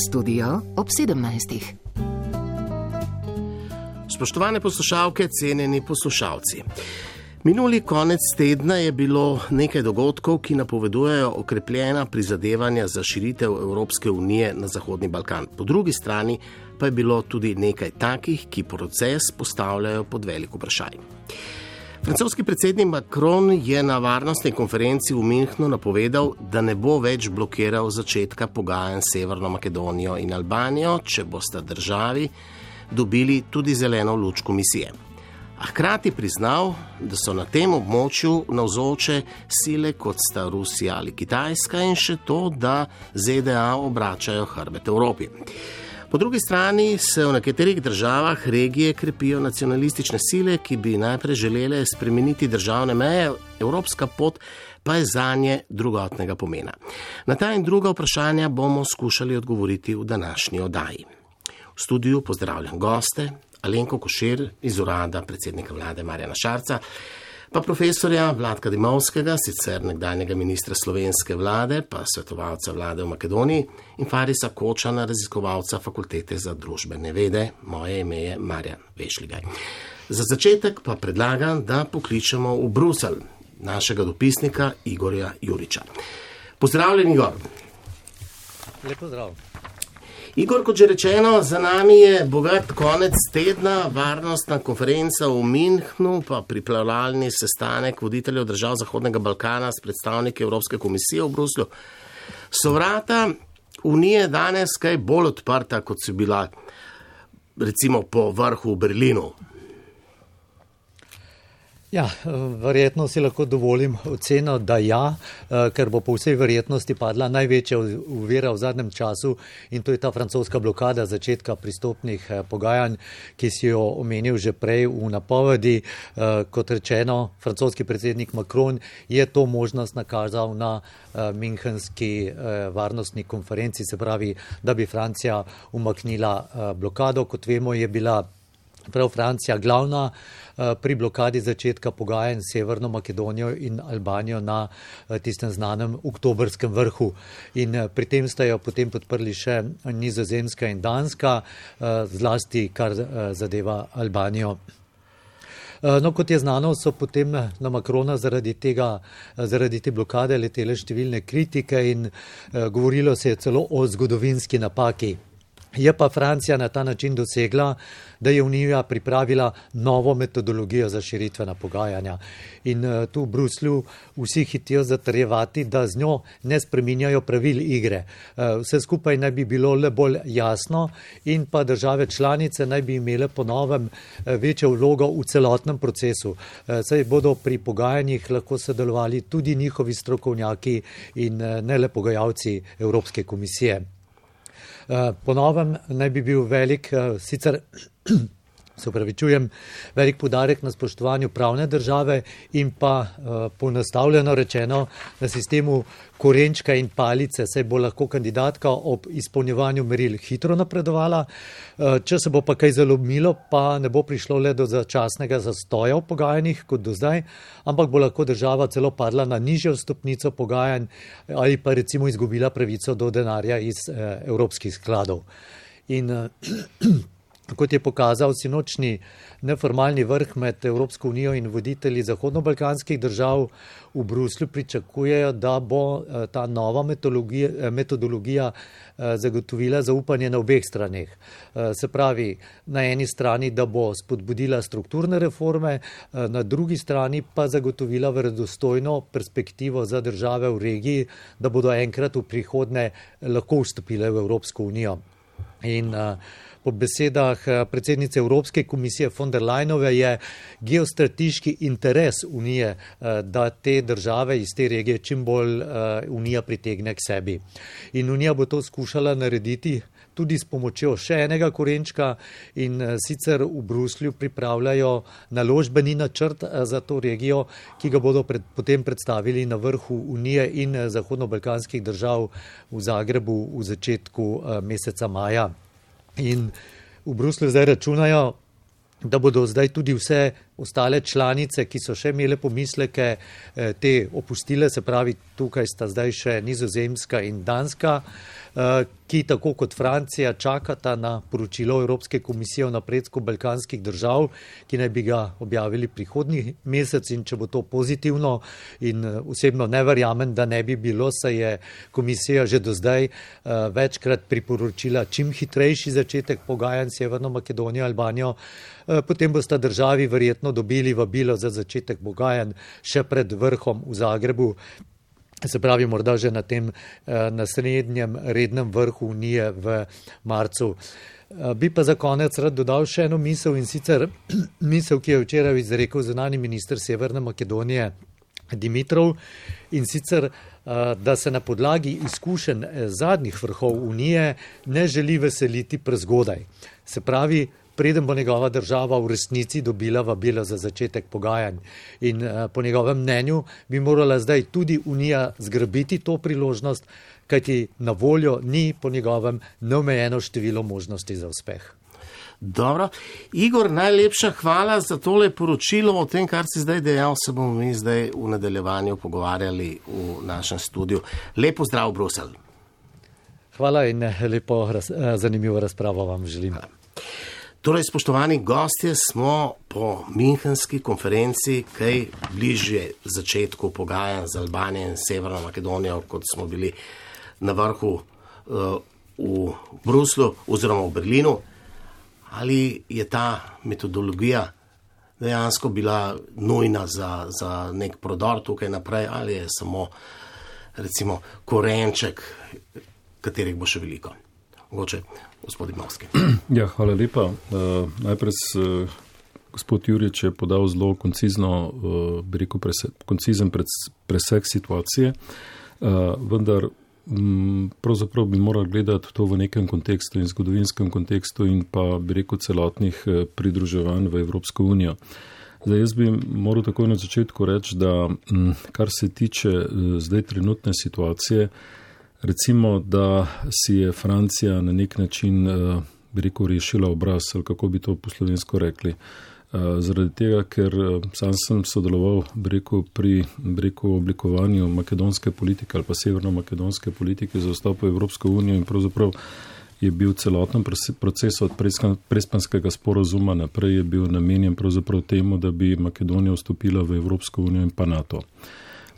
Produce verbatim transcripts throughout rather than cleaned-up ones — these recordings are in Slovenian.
Studio ob sedemnajstih. Spoštovane poslušalke, cenjeni poslušalci. Minuli konec tedna je bilo nekaj dogodkov, ki napovedujejo okrepljena prizadevanja za širitev Evropske unije na Zahodni Balkan. Po drugi strani pa je bilo tudi nekaj takih, ki proces postavljajo pod velik vprašaj. Francoski predsednik Macron je na varnostni konferenci v Münchnu napovedal, da ne bo več blokiral začetka pogajanj s Severno Makedonijo in Albanijo, če bosta državi dobili tudi zeleno luč komisije. A hkrati priznal, da so na tem območju navzoče sile kot sta Rusija ali Kitajska in še to, da Z D A obračajo hrbet Evropi. Po drugi strani se v nekaterih državah regije krepijo nacionalistične sile, ki bi najprej želele spremeniti državne meje, evropska pot pa je zanje drugotnega pomena. Na ta in druga vprašanja bomo skušali odgovoriti v današnji oddaji. V studiu pozdravljam goste, Alenko Košir iz urada predsednika vlade Marjana Šarca, pa profesorja Vladka Dimovskega, sicer nekdanjega ministra slovenske vlade, pa svetovalca vlade v Makedoniji, in Farisa Kočana, raziskovalca Fakultete za družbene vede. Moje ime je Marjan Vešligaj. Za začetek pa predlagam, da pokličemo v Bruselj našega dopisnika Igorja Juriča. Pozdravljen, Igor. Lep pozdrav. Igor, kot že rečeno, za nami je bogat konec tedna, varnostna konferenca v Münchnu, pa pripravljalni sestanek voditeljev držav Zahodnega Balkana s predstavniki Evropske komisije v Bruslju. So vrata Unije danes kaj bolj odprta, kot so bila recimo po vrhu v Berlinu? Ja, verjetno si lahko dovolim oceno, da ja, ker bo po vsej verjetnosti padla največja ovira v zadnjem času in to je ta francoska blokada začetka pristopnih pogajanj, ki si jo omenil že prej v napovedi. Kot rečeno, francoski predsednik Macron je to možnost nakazal na münchenski varnostni konferenci, se pravi, da bi Francija umaknila blokado. Kot vemo, je bila prav Francija glavna pri blokadi začetka pogajanj s Severno Makedonijo in Albanijo na tistem znanem oktobrskem vrhu. In pri tem sta jo potem podprli še Nizozemska in Danska, zlasti kar zadeva Albanijo. No, kot je znano, so potem na Macrona zaradi tega, zaradi te blokade letele številne kritike in govorilo se je celo o zgodovinski napaki. Je pa Francija na ta način dosegla, da je Unija pripravila novo metodologijo za širitvena pogajanja. In tu v Bruslju vsi hitijo zatrjevati, da z njo ne spreminjajo pravil igre. Vse skupaj naj bi bilo le bolj jasno in pa države članice naj bi imele po novem večjo vlogo v celotnem procesu. Saj bodo pri pogajanjih lahko sodelovali tudi njihovi strokovnjaki in ne le pogajalci Evropske komisije. Po novem naj bi bil velik, sicer se upravičujem, velik poudarek na spoštovanju pravne države in pa poenostavljeno rečeno na sistemu korenčka in palice, saj bo lahko kandidatka ob izpolnjevanju meril hitro napredovala. Če se bo pa kaj zalomilo, pa ne bo prišlo le do začasnega zastoja v pogajanjih kot do zdaj, ampak bo lahko država celo padla na nižjo stopnico pogajanj ali pa recimo izgubila pravico do denarja iz evropskih skladov. In kot je pokazal sinočni neformalni vrh med Evropsko unijo in voditelji zahodnobalkanskih držav v Bruslju, pričakujejo, da bo ta nova metodologija, metodologija zagotovila zaupanje na obeh straneh. Se pravi, na eni strani, da bo spodbudila strukturne reforme, na drugi strani pa zagotovila verodostojno perspektivo za države v regiji, da bodo enkrat v prihodnje lahko vstopile v Evropsko unijo. In po besedah predsednice Evropske komisije von der Leyenove je geostrateški interes Unije, da te države iz te regije čim bolj Unija pritegne k sebi. In Unija bo to skušala narediti tudi s pomočjo še enega korenčka in sicer v Bruslju pripravljajo naložbeni načrt za to regijo, ki ga bodo pred, potem predstavili na vrhu Unije in zahodnobalkanskih držav v Zagrebu v začetku meseca maja. In v Bruslju zdaj računajo, da bodo zdaj tudi vse ostale članice, ki so še imele pomisleke, te opustile, se pravi, tukaj sta zdaj še Nizozemska in Danska, ki tako kot Francija čakata na poročilo Evropske komisije o napredku balkanskih držav, ki naj bi ga objavili prihodnji mesec, in če bo to pozitivno, in osebno ne verjamem, da ne bi bilo, saj je komisija že do zdaj večkrat priporočila čim hitrejši začetek pogajanj s Severno Makedonijo, Albanijo, potem bosta državi verjetno dobili vabilo za začetek pogajanj še pred vrhom v Zagrebu. Se pravi, morda že na tem naslednjem rednem vrhu Unije v marcu. Bi pa za konec rad dodal še eno misel, in sicer misel, ki je včeraj izrekel zunanji minister Severne Makedonije Dimitrov, in sicer, da se na podlagi izkušenj zadnjih vrhov Unije ne želi veseliti prezgodaj. Se pravi, preden bo njegova država v resnici dobila vabilo za začetek pogajanj. In po njegovem mnenju bi morala zdaj tudi Unija zgrabiti to priložnost, kajti na voljo ni po njegovem neomejeno število možnosti za uspeh. Dobro. Igor, najlepša hvala za tole poročilo. O tem, kar si zdaj dejal, se bomo mi zdaj v nadaljevanju pogovarjali v našem studiu. Lepo zdrav, Bruselj. Hvala in lepo raz, zanimivo razpravo vam želim. Hvala. Torej, spoštovani gostje, smo po Münchenski konferenci kaj bližje začetku pogajanj z Albanijo in Severno Makedonijo, kot smo bili na vrhu uh, v Bruslju oziroma v Berlinu. Ali je ta metodologija dejansko bila nujna za, za nek prodor tukaj naprej, ali je samo, recimo, korenček, katerih bo še veliko? Mogoče gospod Imovski. Ja, hvala lepa. Uh, najprej uh, gospod Jurič je podal zelo koncizno, uh, bi rekel, prese, koncizen presek situacije, uh, vendar um, pravzaprav bi morali gledati to v nekem kontekstu in zgodovinskem kontekstu in pa bi rekel celotnih uh, pridruževanj v Evropsko unijo. Zdaj, jaz bi moral takoj na začetku reči, da um, kar se tiče uh, zdaj trenutne situacije, recimo, da si je Francija na nek način, bi rekel, rešila obraz, ali kako bi to po slovensko rekli. Zaradi tega, ker sam sem sodeloval, bi rekel, pri bi rekel, oblikovanju makedonske politike ali pa severno-makedonske politike za vstop v Evropsko unijo in pravzaprav je bil celoten proces od prespanskega sporazuma naprej je bil namenjen pravzaprav temu, da bi Makedonija vstopila v Evropsko unijo in pa NATO.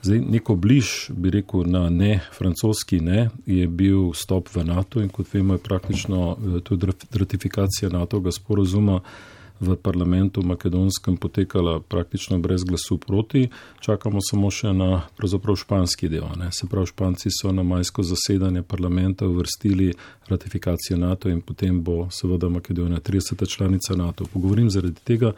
Zdaj, neko bliž, bi rekel, na ne, francoski ne, je bil vstop v NATO in kot vemo je praktično tudi ratifikacija NATO-ga sporazuma v parlamentu makedonskem potekala praktično brez glasu proti. Čakamo samo še na pravzaprav španski del. Ne. Se pravi, Španci so na majsko zasedanje parlamenta uvrstili ratifikacijo NATO in potem bo seveda Makedonija trideseta članica NATO. Pogovorim zaradi tega,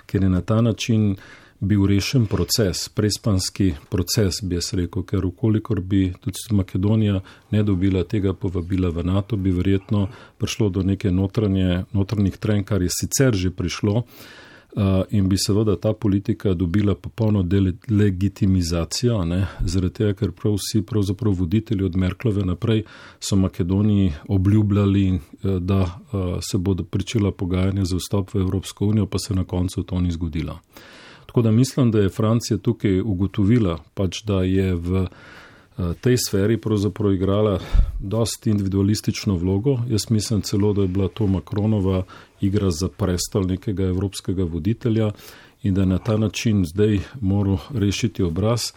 ker je na ta način bil rešen proces, prespanski proces, bi jaz rekel, ker ukolikor bi tudi Makedonija ne dobila tega povabila v NATO, bi verjetno prišlo do neke notranje, notranjih trenj, kar je sicer že prišlo uh, in bi seveda ta politika dobila popolno delegitimizacijo, ne, zaradi tega, ker prav vsi pravzaprav voditelji od Merklove naprej so Makedoniji obljubljali, uh, da uh, se bodo pričela pogajanja za vstop v Evropsko unijo, pa se na koncu to ni zgodilo. Tako da mislim, da je Francija tukaj ugotovila, pač, da je v tej sferi pravzaprav igrala dosti individualistično vlogo. Jaz mislim celo, da je bila to Macronova igra za prestol nekega evropskega voditelja in da je na ta način zdaj moral rešiti obraz.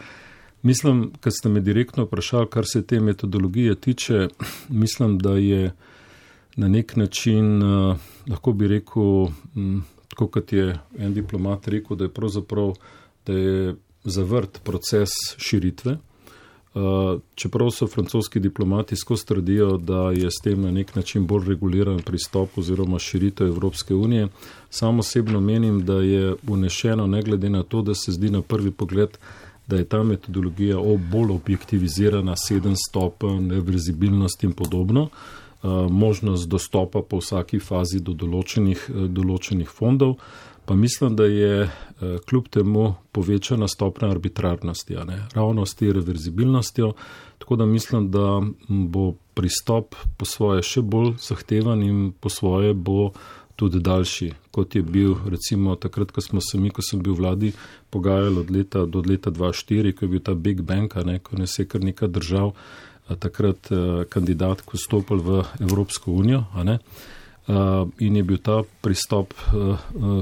Mislim, kad ste me direktno vprašali, kar se te metodologije tiče, mislim, da je na nek način, lahko bi rekel, tako kot je en diplomat rekel, da je pravzaprav, da je zavrt proces širitve. Čeprav so francoski diplomati skozi trdijo, da je s tem na nek način bolj reguliran pristop oziroma širitev Evropske unije. Sam osebno menim, da je vnešeno, ne glede na to, da se zdi na prvi pogled, da je ta metodologija bolj objektivizirana, sedem stopenj, reverzibilnost in podobno. Možnost dostopa po vsaki fazi do določenih, določenih fondov, pa mislim, da je kljub temu povečana stopnja arbitrarnosti, a ne, ravno s te reverzibilnostjo, tako da mislim, da bo pristop po svoje še bolj zahtevan in po svoje bo tudi daljši, kot je bil recimo takrat, ko smo se mi, ko sem bil v vladi, pogajali od leta do leta dva tisoč štiri, ko je bil ta Big Bang, ne, ko ne se kar nekaj držav takrat kandidat, ko stopil v Evropsko unijo, a ne, in je bil ta pristop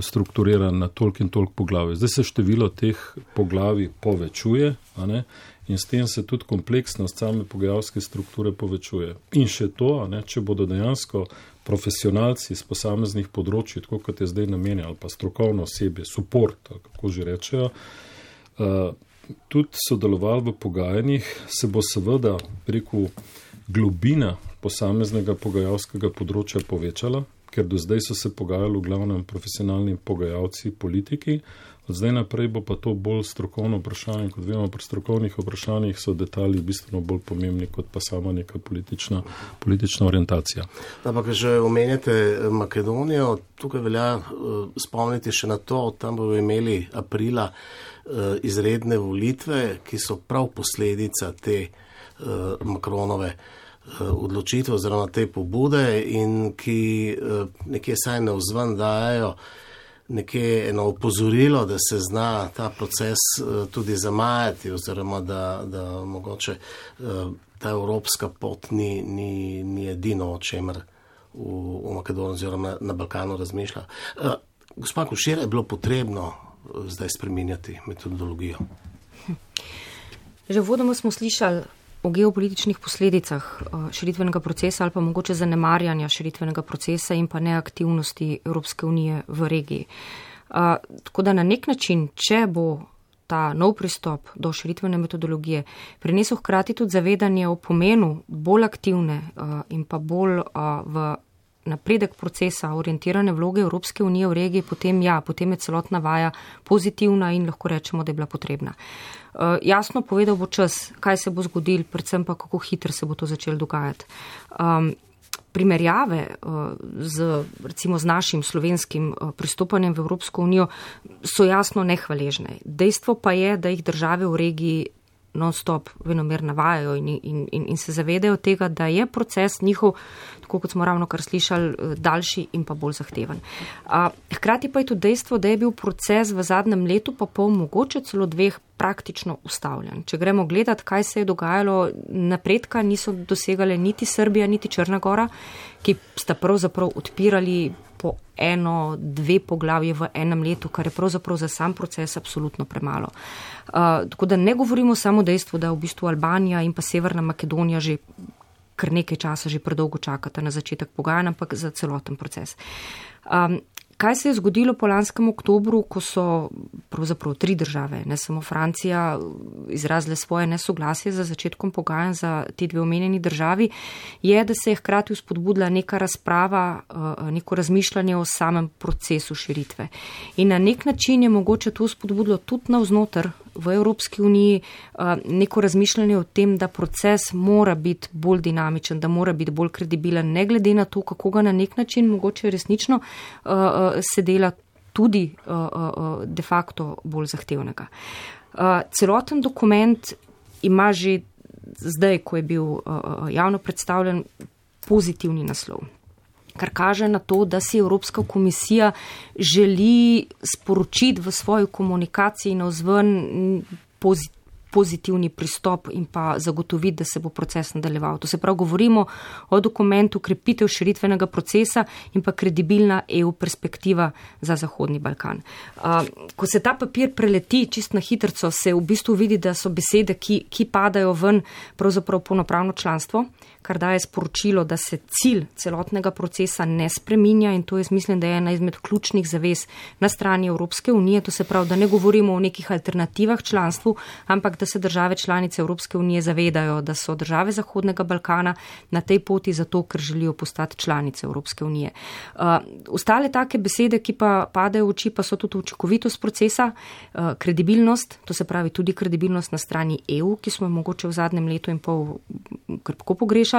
strukturiran na toliko in toliko poglavij. Zdaj se število teh poglavij povečuje, a ne, in s tem se tudi kompleksnost same pogajalske strukture povečuje. In še to, a ne, če bodo dejansko profesionalci z posameznih področji, tako kot je zdaj namenjeno, ali pa strokovno osebje, support, kako že rečejo, tudi sodelovali v pogajanjih, se bo seveda preko globina posameznega pogajalskega področja povečala, ker do zdaj so se pogajali v glavnem profesionalni pogajalci, politiki, od zdaj naprej bo pa to bolj strokovno vprašanje, kot vemo, pri strokovnih vprašanjih so detalji bistveno bolj pomembni, kot pa sama neka politična, politična orientacija. Ampak, že omenjate Makedonijo, tukaj velja uh, spomniti še na to, tam bomo imeli aprila uh, izredne volitve, ki so prav posledica te uh, Macronove uh, odločitve oziroma te pobude in ki uh, nekje saj navzven dajajo nekje eno opozorilo, da se zna ta proces tudi zamajati oziroma da, da mogoče ta evropska pot ni, ni, ni edino, o čemer v, v Makedoniji oziroma na Balkanu razmišlja. Gospa Košir, je bilo potrebno zdaj spreminjati metodologijo? Že vodoma smo slišali o geopolitičnih posledicah širitvenega procesa ali pa mogoče zanemarjanja širitvenega procesa in pa neaktivnosti Evropske unije v regiji. Uh, tako da na nek način, če bo ta nov pristop do širitvene metodologije prinesel hkrati tudi zavedanje o pomenu bolj aktivne uh, in pa bolj uh, v napredek procesa orientirane vloge Evropske unije v regiji, potem ja, potem je celotna vaja pozitivna in lahko rečemo, da je bila potrebna. Uh, jasno povedal bo čas, kaj se bo zgodil, predvsem pa kako hitro se bo to začelo dogajati. Um, primerjave uh, z, recimo, z našim slovenskim uh, pristopanjem v Evropsko unijo so jasno nehvaležne. Dejstvo pa je, da jih države v regiji non-stop venomer navajajo in, in, in, in se zavedajo tega, da je proces njihov, tako kot smo ravno kar slišali, daljši in pa bolj zahteven. A, hkrati pa je tudi dejstvo, da je bil proces v zadnjem letu pa pol mogoče celo dveh praktično ustavljen. Če gremo gledati, kaj se je dogajalo, napredka niso dosegale niti Srbija, niti Črna Gora, ki sta pravzaprav odpirali po eno, dve poglavje v enem letu, kar je pravzaprav za sam proces absolutno premalo. Uh, tako da ne govorimo samo dejstvo, da v bistvu Albanija in pa Severna Makedonija že kar nekaj časa že predolgo čakata na začetek pogajanj, ampak za celoten proces. Um, Kaj se je zgodilo po lanskem oktobru, ko so pravzaprav tri države, ne samo Francija, izrazile svoje nesoglasje za začetkom pogajanj za ti dve omenjeni državi, je, da se je hkrati vzpodbudila neka razprava, neko razmišljanje o samem procesu širitve. In na nek način je mogoče to vzpodbudilo tudi navznoter v Evropski uniji neko razmišljanje o tem, da proces mora biti bolj dinamičen, da mora biti bolj kredibilen, ne glede na to, kako ga na nek način mogoče resnično se dela tudi de facto bolj zahtevnega. Celoten dokument ima že zdaj, ko je bil javno predstavljen, pozitivni naslov, kar kaže na to, da si Evropska komisija želi sporočiti v svoji komunikaciji navzven pozitivni pristop in pa zagotoviti, da se bo proces nadaljeval. To se prav govorimo o dokumentu krepitev širitvenega procesa in pa kredibilna E U perspektiva za Zahodni Balkan. Ko se ta papir preleti čist na hitrco, se v bistvu vidi, da so besede, ki, ki padajo ven, pravzaprav polnopravno članstvo, kar daje sporočilo, da se cilj celotnega procesa ne spreminja in to je, mislim, da je ena izmed ključnih zavez na strani Evropske unije. To se pravi, da ne govorimo o nekih alternativah članstvu, ampak da se države članice Evropske unije zavedajo, da so države Zahodnega Balkana na tej poti zato, ker želijo postati članice Evropske unije. Uh, ostale take besede, ki pa padajo v oči, pa so tudi učinkovitost procesa, uh, kredibilnost, to se pravi tudi kredibilnost na strani E U, ki smo mogoče v zadnjem letu in pol krpko pogrešali,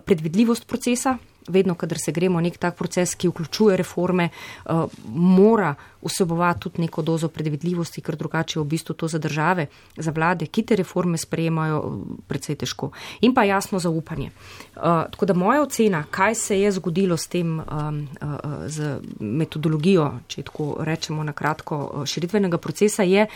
predvidljivost procesa, vedno, kadar se gremo nek tak proces, ki vključuje reforme, uh, mora vsebovati tudi neko dozo predvidljivosti, ker drugače je v bistvu to za države, za vlade, ki te reforme sprejemajo, precej težko. In pa jasno zaupanje. Uh, tako da moja ocena, kaj se je zgodilo s tem, um, uh, z metodologijo, če tako rečemo na kratko, širitvenega procesa, je,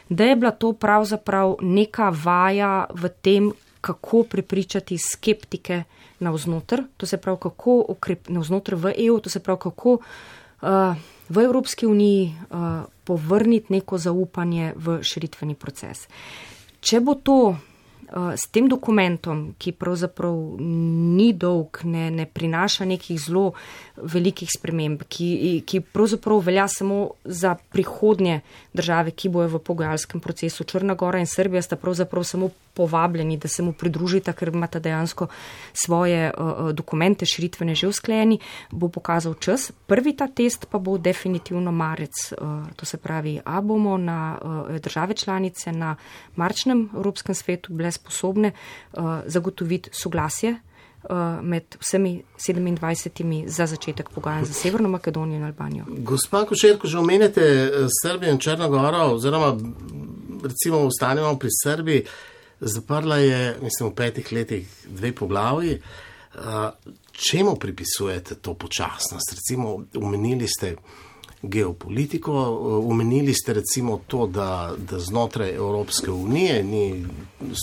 da je bila to pravzaprav neka vaja v tem, kako prepričati skeptike navznoter, to se pravi, kako ukrep, navznoter v E U, to se pravi, kako uh, v Evropski uniji uh, povrniti neko zaupanje v širitveni proces. Če bo to uh, s tem dokumentom, ki pravzaprav ni dolg, ne, ne prinaša nekih zelo velikih sprememb, ki, ki pravzaprav velja samo za prihodnje države, ki bojo v pogajalskem procesu. Črna Gora in Srbija sta pravzaprav samo povabljeni, da se mu pridružita, ker imata dejansko svoje uh, dokumente širitvene že usklajeni, bo pokazal čas. Prvi ta test pa bo definitivno marec. Uh, to se pravi, a bomo na uh, države članice na marčnem Evropskem svetu bile sposobne uh, zagotoviti soglasje med vsemi sedemindvajsetimi za začetek pogajanj za Severno Makedonijo in Albanijo. Gospa Košer, ko že omenjate Srbijo in Črno Goro, oziroma recimo ostanemo pri Srbiji, zaprla je, mislim, v petih letih dve poglavji. Čemu pripisujete to počasnost? Recimo, omenili ste geopolitiko, omenili ste recimo to, da, da znotraj Evropske unije ni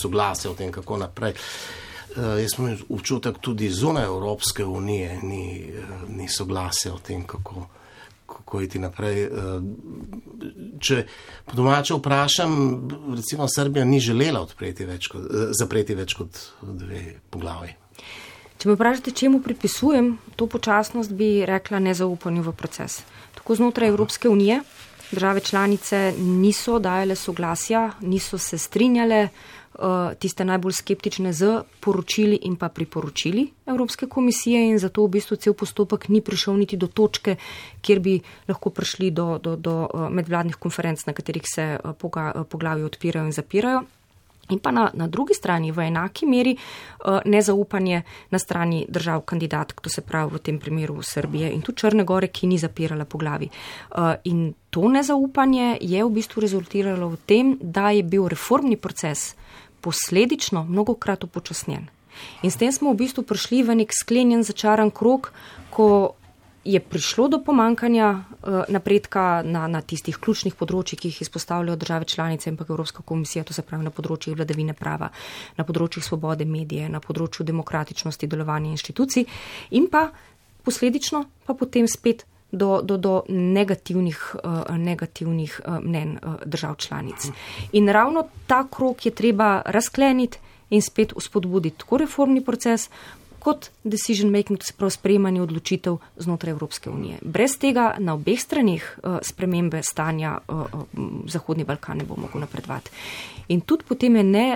soglasja o tem, kako naprej. Uh, jaz imam občutek tudi zunaj Evropske unije, ni, uh, ni soglasja o tem, kako, kako iti naprej. Uh, če po domače vprašam, recimo Srbija ni želela odpreti več kot, uh, zapreti več kot dve poglavji. Če me vprašate, čemu pripisujem to počasnost, bi rekla nezaupanju v proces. Tako znotraj Evropske unije države članice niso dajale soglasja, niso se strinjale, tiste najbolj skeptične z poročili in pa priporočili Evropske komisije in zato v bistvu cel postopek ni prišel niti do točke, kjer bi lahko prišli do, do, do medvladnih konferenc, na katerih se poglavji odpirajo in zapirajo. In pa na, na drugi strani v enaki meri uh, nezaupanje na strani držav kandidatk, to se pravi v tem primeru Srbije in tudi Črne Gore, ki ni zapirala poglavi. Uh, in to nezaupanje je v bistvu rezultiralo v tem, da je bil reformni proces posledično mnogokrat upočasnjen. In s tem smo v bistvu prišli v nek sklenjen začaran krog, ko je prišlo do pomankanja uh, napredka na, na tistih ključnih področjih, ki jih izpostavljajo države članice in pa Evropska komisija, to se pravi na področjih vladavine prava, na področjih svobode medije, na področju demokratičnosti delovanja inštitucij in pa posledično pa potem spet do, do, do negativnih, uh, negativnih uh, mnen uh, držav članic. In ravno ta krog je treba razkleniti in spet uspodbuditi tako reformni proces, kot decision making, to se pravi sprejemanje odločitev znotraj Evropske unije. Brez tega na obeh stranih uh, spremembe stanja uh, uh, Zahodni Balkan ne bo mogel napredovati. In tudi potem je ne,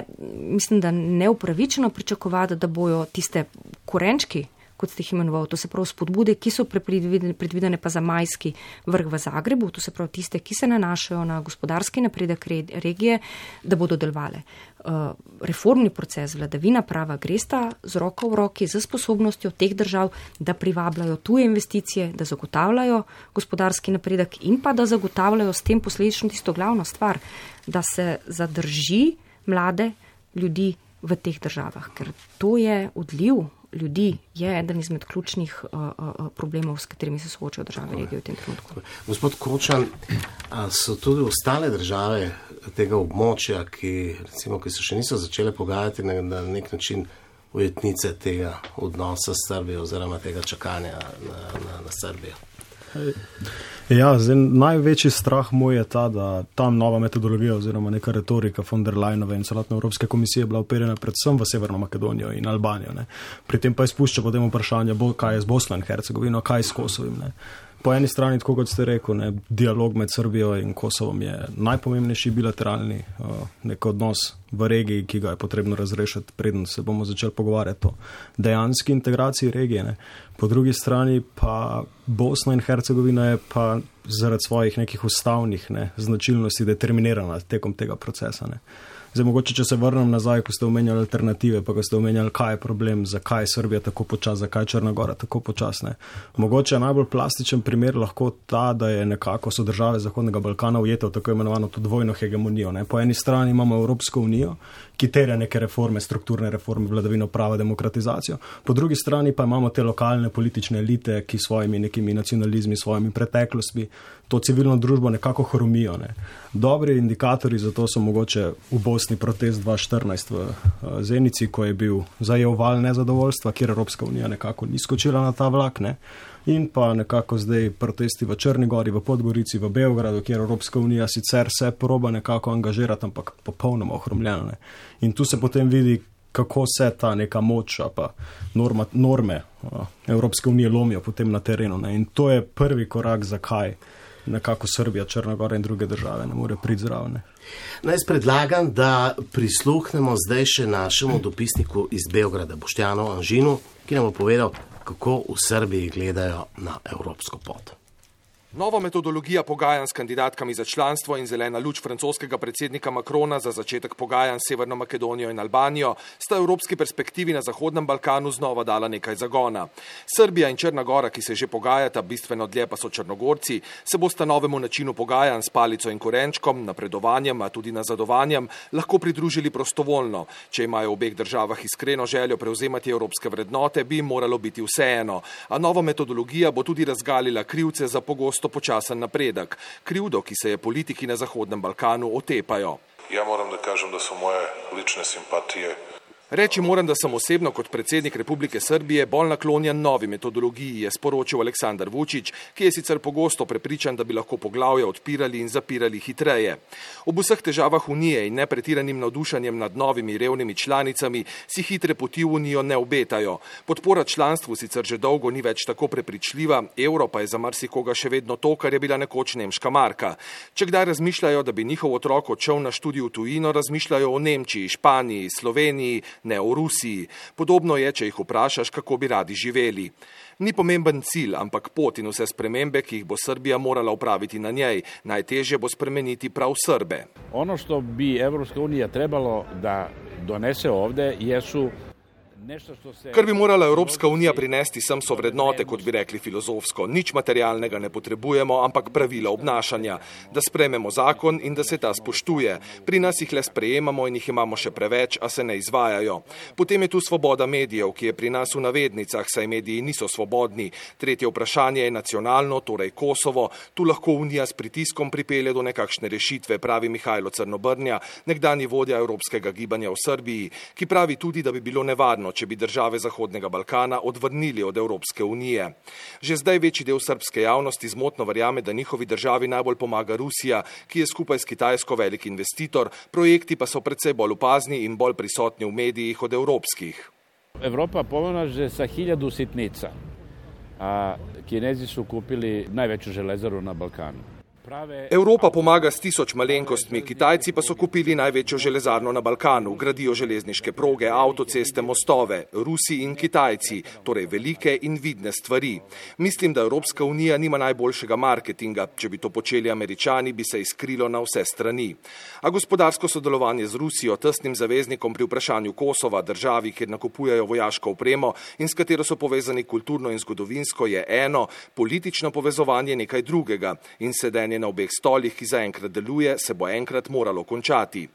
mislim, da neupravičeno pričakovati, da bojo tiste korenčki, kot ste jih imenoval, to se pravi spodbude, ki so predvidene, predvidene pa za majski vrh v Zagrebu, to se pravi tiste, ki se nanašajo na gospodarski napredek regije, da bodo delovale. Uh, reformni proces, vladavina prava gresta z roko v roki, z sposobnostjo teh držav, da privabljajo tuje investicije, da zagotavljajo gospodarski napredek in pa da zagotavljajo s tem posledično tisto glavno stvar, da se zadrži mlade ljudi v teh državah, ker to je odliv ljudi, je eden izmed ključnih uh, uh, problemov, s katerimi se soočajo države regije v tem trenutku. Gospod Kočan, so tudi ostale države tega območja, ki, recimo, ki se še niso začele pogajati na, na nek način ujetnice tega odnosa s Srbijo oziroma tega čakanja na, na, na Srbijo? Ja, zdaj, največji strah moj je ta, da tam nova metodologija oziroma neka retorika von der Leyenove in celotne Evropske komisije bila operjena predvsem v Severno Makedonijo in Albanijo. Ne. Pri tem pa izpušča potem vprašanje, kaj je z Bosno in Hercegovino, kaj je s Kosovim. Ne. Po eni strani, tako kot ste rekel, ne, dialog med Srbijo in Kosovom je najpomembnejši bilateralni uh, nek odnos v regiji, ki ga je potrebno razrešiti, preden se bomo začeli pogovarjati o dejanski integraciji regije. Ne. Po drugi strani pa Bosna in Hercegovina je pa zaradi svojih nekih ustavnih ne, značilnosti determinirana tekom tega procesa. Ne. Zdaj, mogoče, če se vrnem nazaj, ko ste omenjali alternative, pa ko ste omenjali, kaj je problem, zakaj je Srbija tako počas, zakaj je Črna Gora tako počasne. Mogoče je najbolj plastičen primer lahko ta, da je nekako so države Zahodnega Balkana ujete v tako imenovano to dvojno hegemonijo. Ne. Po eni strani imamo Evropsko unijo, ki terja neke reforme, strukturne reforme, vladavino prava, demokratizacijo. Po drugi strani pa imamo te lokalne politične elite, ki svojimi nekimi nacionalizmi, svojimi preteklostmi to civilno družbo nekako hromijo. Ne. Dobri indikatorji za to so mogoče v Bosni protest dva tisoč štirinajst v Zenici, ko je bil zajel val nezadovoljstva, kjer Evropska unija nekako ni skočila na ta vlak, ne. In pa nekako zdaj protesti v Črni Gori, v Podgorici, v Beogradu, kjer Evropska unija sicer se proba nekako angažirati, ampak popolnoma ohromljeno. Ne. In tu se potem vidi, kako se ta neka moč, pa norma, norme Evropske unije lomijo potem na terenu. Ne. In to je prvi korak, zakaj nekako Srbija, Črna Gora in druge države ne more priti zraven. Naj predlagam, da prisluhnemo zdaj še našemu dopisniku iz Beograda, Boštjanu Anžinu, ki nam bo povedal, kako v Srbiji gledajo na evropsko pot. Nova metodologija pogajanj s kandidatkami za članstvo in zelena luč francoskega predsednika Macrona za začetek pogajanj s Severno Makedonijo in Albanijo sta evropski perspektivi na Zahodnem Balkanu znova dala nekaj zagona. Srbija in Črna Gora, ki se že pogajata, bistveno dlje pa so Črnogorci, se bosta novemu načinu pogajanj s palico in korenčkom, napredovanjem, a tudi nazadovanjem, lahko pridružili prostovoljno. Če imajo v obeh državah iskreno željo prevzemati evropske vrednote, bi jim moralo biti vseeno. A nova metodologija bo tudi razgalila krivce za pogosto počasen napredek, krivdo, ki se je politiki na Zahodnem Balkanu otepajo. Ja moram da kažem da su moje lične simpatije. Reči moram, da sem osebno kot predsednik Republike Srbije bolj naklonjen novi metodologiji, je sporočil Aleksandar Vučić, ki je sicer pogosto prepričan, da bi lahko poglavja odpirali in zapirali hitreje. Ob vseh težavah Unije in nepretiranim navdušanjem nad novimi revnimi članicami si hitre poti v Unijo ne obetajo. Podpora članstvu sicer že dolgo ni več tako prepričljiva, evro pa je za marsikoga še vedno to, kar je bila nekoč nemška marka. Če kdaj razmišljajo, da bi njihov otrok odšel na študij v tujino, razmišljajo o Nemčiji, Španiji, Sloveniji, ne o Rusiji. Podobno je, če jih vprašaš, kako bi radi živeli. Ni pomemben cilj, ampak pot in vse spremembe, ki jih bo Srbija morala upraviti na njej. Najtežje bo spremeniti prav Srbe. Ono što bi Evropska unija trebalo da donese ovde jesu Kar bi morala Evropska unija prinesti sem so vrednote, kot bi rekli filozofsko. Nič materialnega ne potrebujemo, ampak pravila obnašanja. Da sprejmemo zakon in da se ta spoštuje. Pri nas jih le sprejemamo in jih imamo še preveč, a se ne izvajajo. Potem je tu svoboda medijev, ki je pri nas v navednicah, saj mediji niso svobodni. Tretje vprašanje je nacionalno, torej Kosovo. Tu lahko unija s pritiskom pripelje do nekakšne rešitve, pravi Mihajlo Crnobrnja, nekdanji vodja Evropskega gibanja v Srbiji, ki pravi tudi, da bi bilo nevarno, če bi države Zahodnega Balkana odvrnili od Evropske unije. Že zdaj večji del srbske javnosti zmotno verjame, da njihovi državi najbolj pomaga Rusija, ki je skupaj s Kitajsko velik investitor, projekti pa so precej bolj opazni in bolj prisotni v medijih od evropskih. Evropa pomaže sa hiljadu sitnica, a Kinezi su kupili najveću železaru na Balkanu. Evropa pomaga s tisoč malenkostmi, Kitajci pa so kupili največjo železarno na Balkanu, gradijo železniške proge, avtoceste, mostove, Rusi in Kitajci, torej velike in vidne stvari. Mislim, da Evropska unija nima najboljšega marketinga, če bi to počeli Američani, bi se izkrilo na vse strani. A gospodarsko sodelovanje z Rusijo, tesnim zaveznikom pri vprašanju Kosova, državi, kjer nakupujejo vojaško opremo in s katero so povezani kulturno in zgodovinsko, je eno, politično povezovanje nekaj drugega in sedenje na obeh stolih, ki zaenkrat deluje, se bo enkrat moralo končati.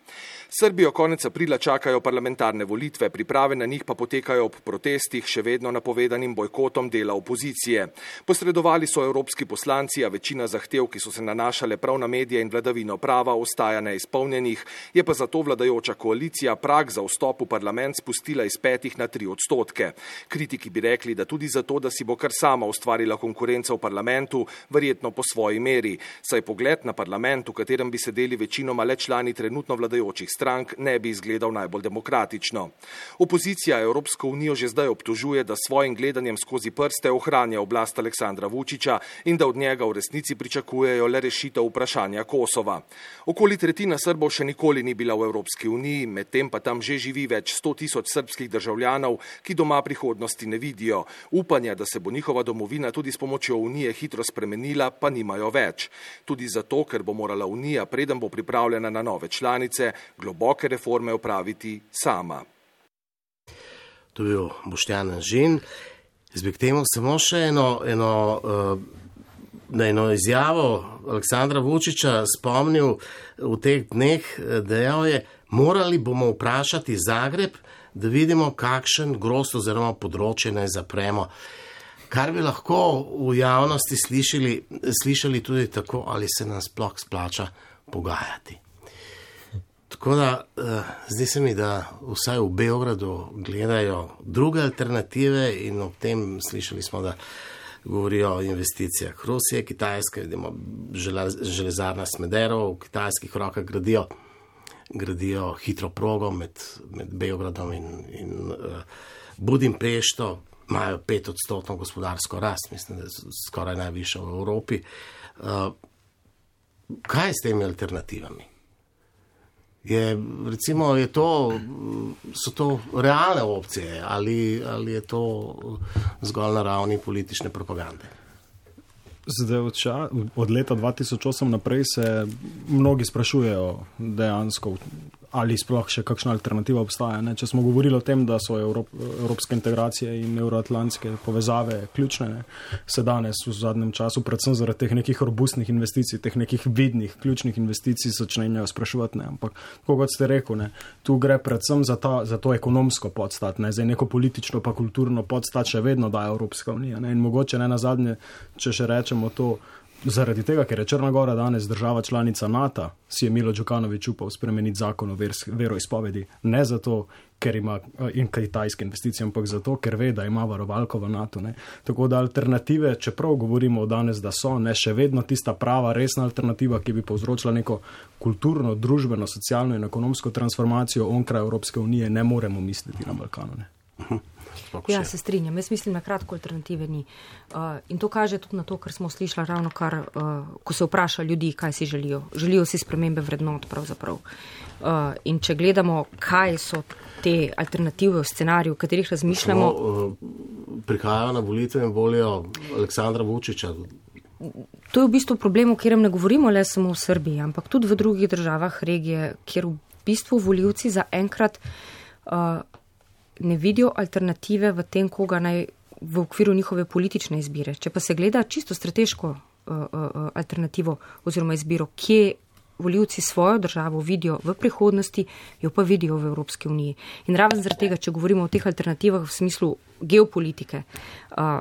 Srbijo konec aprila čakajo parlamentarne volitve, priprave na njih pa potekajo ob protestih, še vedno napovedanim bojkotom dela opozicije. Posredovali so evropski poslanci, a večina zahtev, ki so se nanašale prav na medije in vladavino prava, ostaja neizpolnjenih, je pa zato vladajoča koalicija prag za vstop v parlament spustila iz petih na tri odstotke. Kritiki bi rekli, da tudi zato, da si bo kar sama ustvarila konkurenca v parlamentu, verjetno po svoji meri. saj pogled na parlament, v katerem bi sedeli večinoma le člani trenutno vladajočih strank, ne bi izgledal najbolj demokratično. Opozicija Evropsko unijo že zdaj obtožuje, da svojim gledanjem skozi prste ohranja oblast Aleksandra Vučića in da od njega v resnici pričakujejo le rešitev vprašanja Kosova. Okoli tretjina Srbov še nikoli ni bila v Evropski uniji, medtem pa tam že živi več sto tisoč srbskih državljanov, ki doma prihodnosti ne vidijo. Upanja, da se bo njihova domovina tudi s pomočjo Unije hitro spremenila, pa nimajo več. Tudi zato, ker bo morala Unija, preden bo pripravljena na nove članice, globoke reforme opraviti sama. To je bil Boštjan Anžin. Jaz bi k temu samo še eno, eno, na eno izjavo Aleksandra Vučića spomnil v teh dneh, dejal je, morali bomo vprašati Zagreb, da vidimo, kakšen grozd oziroma področje naj zapremo. Kar bi lahko v javnosti slišali, slišali tudi tako, ali se nam sploh splača pogajati. Tako da, zdi se mi, da vsaj v Beogradu gledajo druge alternative in ob tem slišali smo, da govorijo o investicijah Rusije, Kitajske, vidimo železarna Smederevo, v kitajskih rokah gradijo gradijo hitro progo med, med Beogradom in, in uh, Budimpešto, imajo pet odstotno gospodarsko rast, mislim, da je skoraj najvišja v Evropi. Uh, kaj je s temi alternativami? Je, recimo, je to, so to realne opcije ali, ali je to zgolj na ravni politične propagande? Zdaj, od, ča, od leta dva tisoč osem naprej se mnogi sprašujejo dejansko, ali sploh še kakšna alternativa obstaja. Ne? Če smo govorili o tem, da so Evrop, evropske integracije in euroatlantske povezave ključne, ne? Se danes v zadnjem času, predvsem zaradi teh nekih robustnih investicij, teh nekih vidnih, ključnih investicij začnejo spraševati. Ne? Ampak, kot ste rekel, ne? Tu gre predvsem za, ta, za to ekonomsko podstat, ne? Zdaj neko politično pa kulturno podstat še vedno daje Evropska unija. Ne? In mogoče ne nazadnje, če še rečemo to, zaradi tega, ker je Črna Gora danes država članica NATO, si je Milo Đukanović upal spremeniti zakon o veroizpovedi. Ne zato, ker ima in kitajske investicije, ampak zato, ker ve, da ima varovalko v NATO. Ne. Tako da alternative, čeprav govorimo danes, da so, ne, še vedno tista prava, resna alternativa, ki bi povzročila neko kulturno, družbeno, socialno in ekonomsko transformacijo onkraj Evropske unije, ne moremo misliti na Balkanu. Ne. Uh-huh. Ja, se strinjam. Jaz mislim, na kratko alternative ni. Uh, in to kaže tudi na to, kar smo slišali ravno kar, uh, ko se vpraša ljudi, kaj si želijo. Želijo si spremembe vrednot pravzaprav. Uh, in če gledamo, kaj so te alternative v scenariju, v katerih razmišljamo. Smo, uh, prihajajo na volitve in volijo Aleksandra Vučića. To je v bistvu problem, o katerem ne govorimo le samo v Srbiji, ampak tudi v drugih državah regije, kjer v bistvu volivci za enkrat uh, ne vidijo alternative v tem, koga naj v okviru njihove politične izbire. Če pa se gleda čisto strateško uh, uh, alternativo oziroma izbiro, kje volivci svojo državo vidijo v prihodnosti, jo pa vidijo v Evropski uniji. In raven zaradi tega, če govorimo o teh alternativah v smislu geopolitike, uh,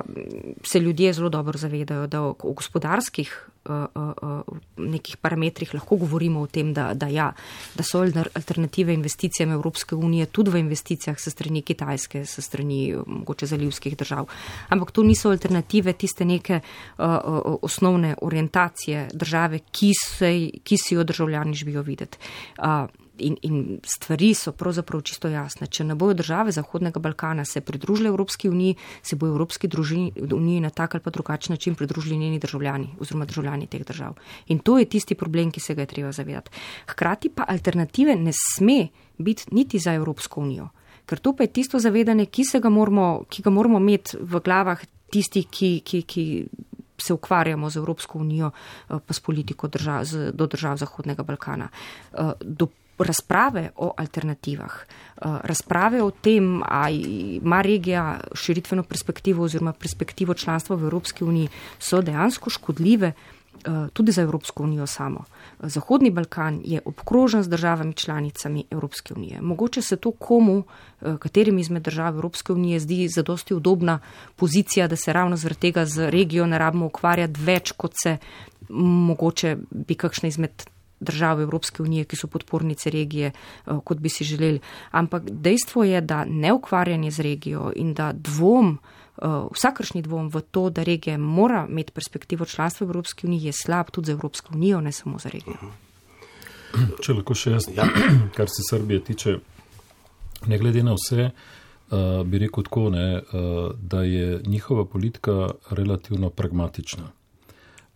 se ljudje zelo dobro zavedajo, da o, o gospodarskih uh, uh, nekih parametrih lahko govorimo o tem, da, da ja, da so alternative investicijam Evropske unije tudi v investicijah se strani Kitajske, se strani mogoče zalivskih držav. Ampak to niso alternative tiste neke uh, uh, osnovne orientacije države, ki, se, ki si jo državljani želijo videti. Uh, In, in stvari so pravzaprav čisto jasne. Če ne bojo države Zahodnega Balkana se pridružile Evropski uniji, se bojo Evropski družini, uniji na tak ali pa drugačen način pridružili njeni državljani oziroma državljani teh držav. In to je tisti problem, ki se ga je treba zavedati. Hkrati pa alternative ne sme biti niti za Evropsko unijo. Ker to pa je tisto zavedanje, ki, se ga, moramo, ki ga moramo imeti v glavah tistih, ki, ki, ki se ukvarjamo z Evropsko unijo pa s politiko držav, z, do držav Zahodnega Balkana. Do razprave o alternativah, razprave o tem, a ima regija širitveno perspektivo oziroma perspektivo članstva v Evropski uniji, so dejansko škodljive tudi za Evropsko unijo samo. Zahodni Balkan je obkrožen z državami članicami Evropske unije. Mogoče se to komu, katerim izmed držav Evropske unije zdi zadosti udobna pozicija, da se ravno zaradi tega z regijo ne rabimo ukvarjati več, kot se mogoče bi kakšne izmed države Evropske unije, ki so podpornice regije, kot bi si želeli. Ampak dejstvo je, da neukvarjanje z regijo in da dvom vsakršni dvom v to, da regija mora imeti perspektivo članstva v Evropski uniji, je slab tudi za Evropsko unijo, ne samo za regijo. Če lahko še jaz, ja. Kar se Srbije tiče, ne glede na vse, uh, bi rekel tako, ne, uh, da je njihova politika relativno pragmatična.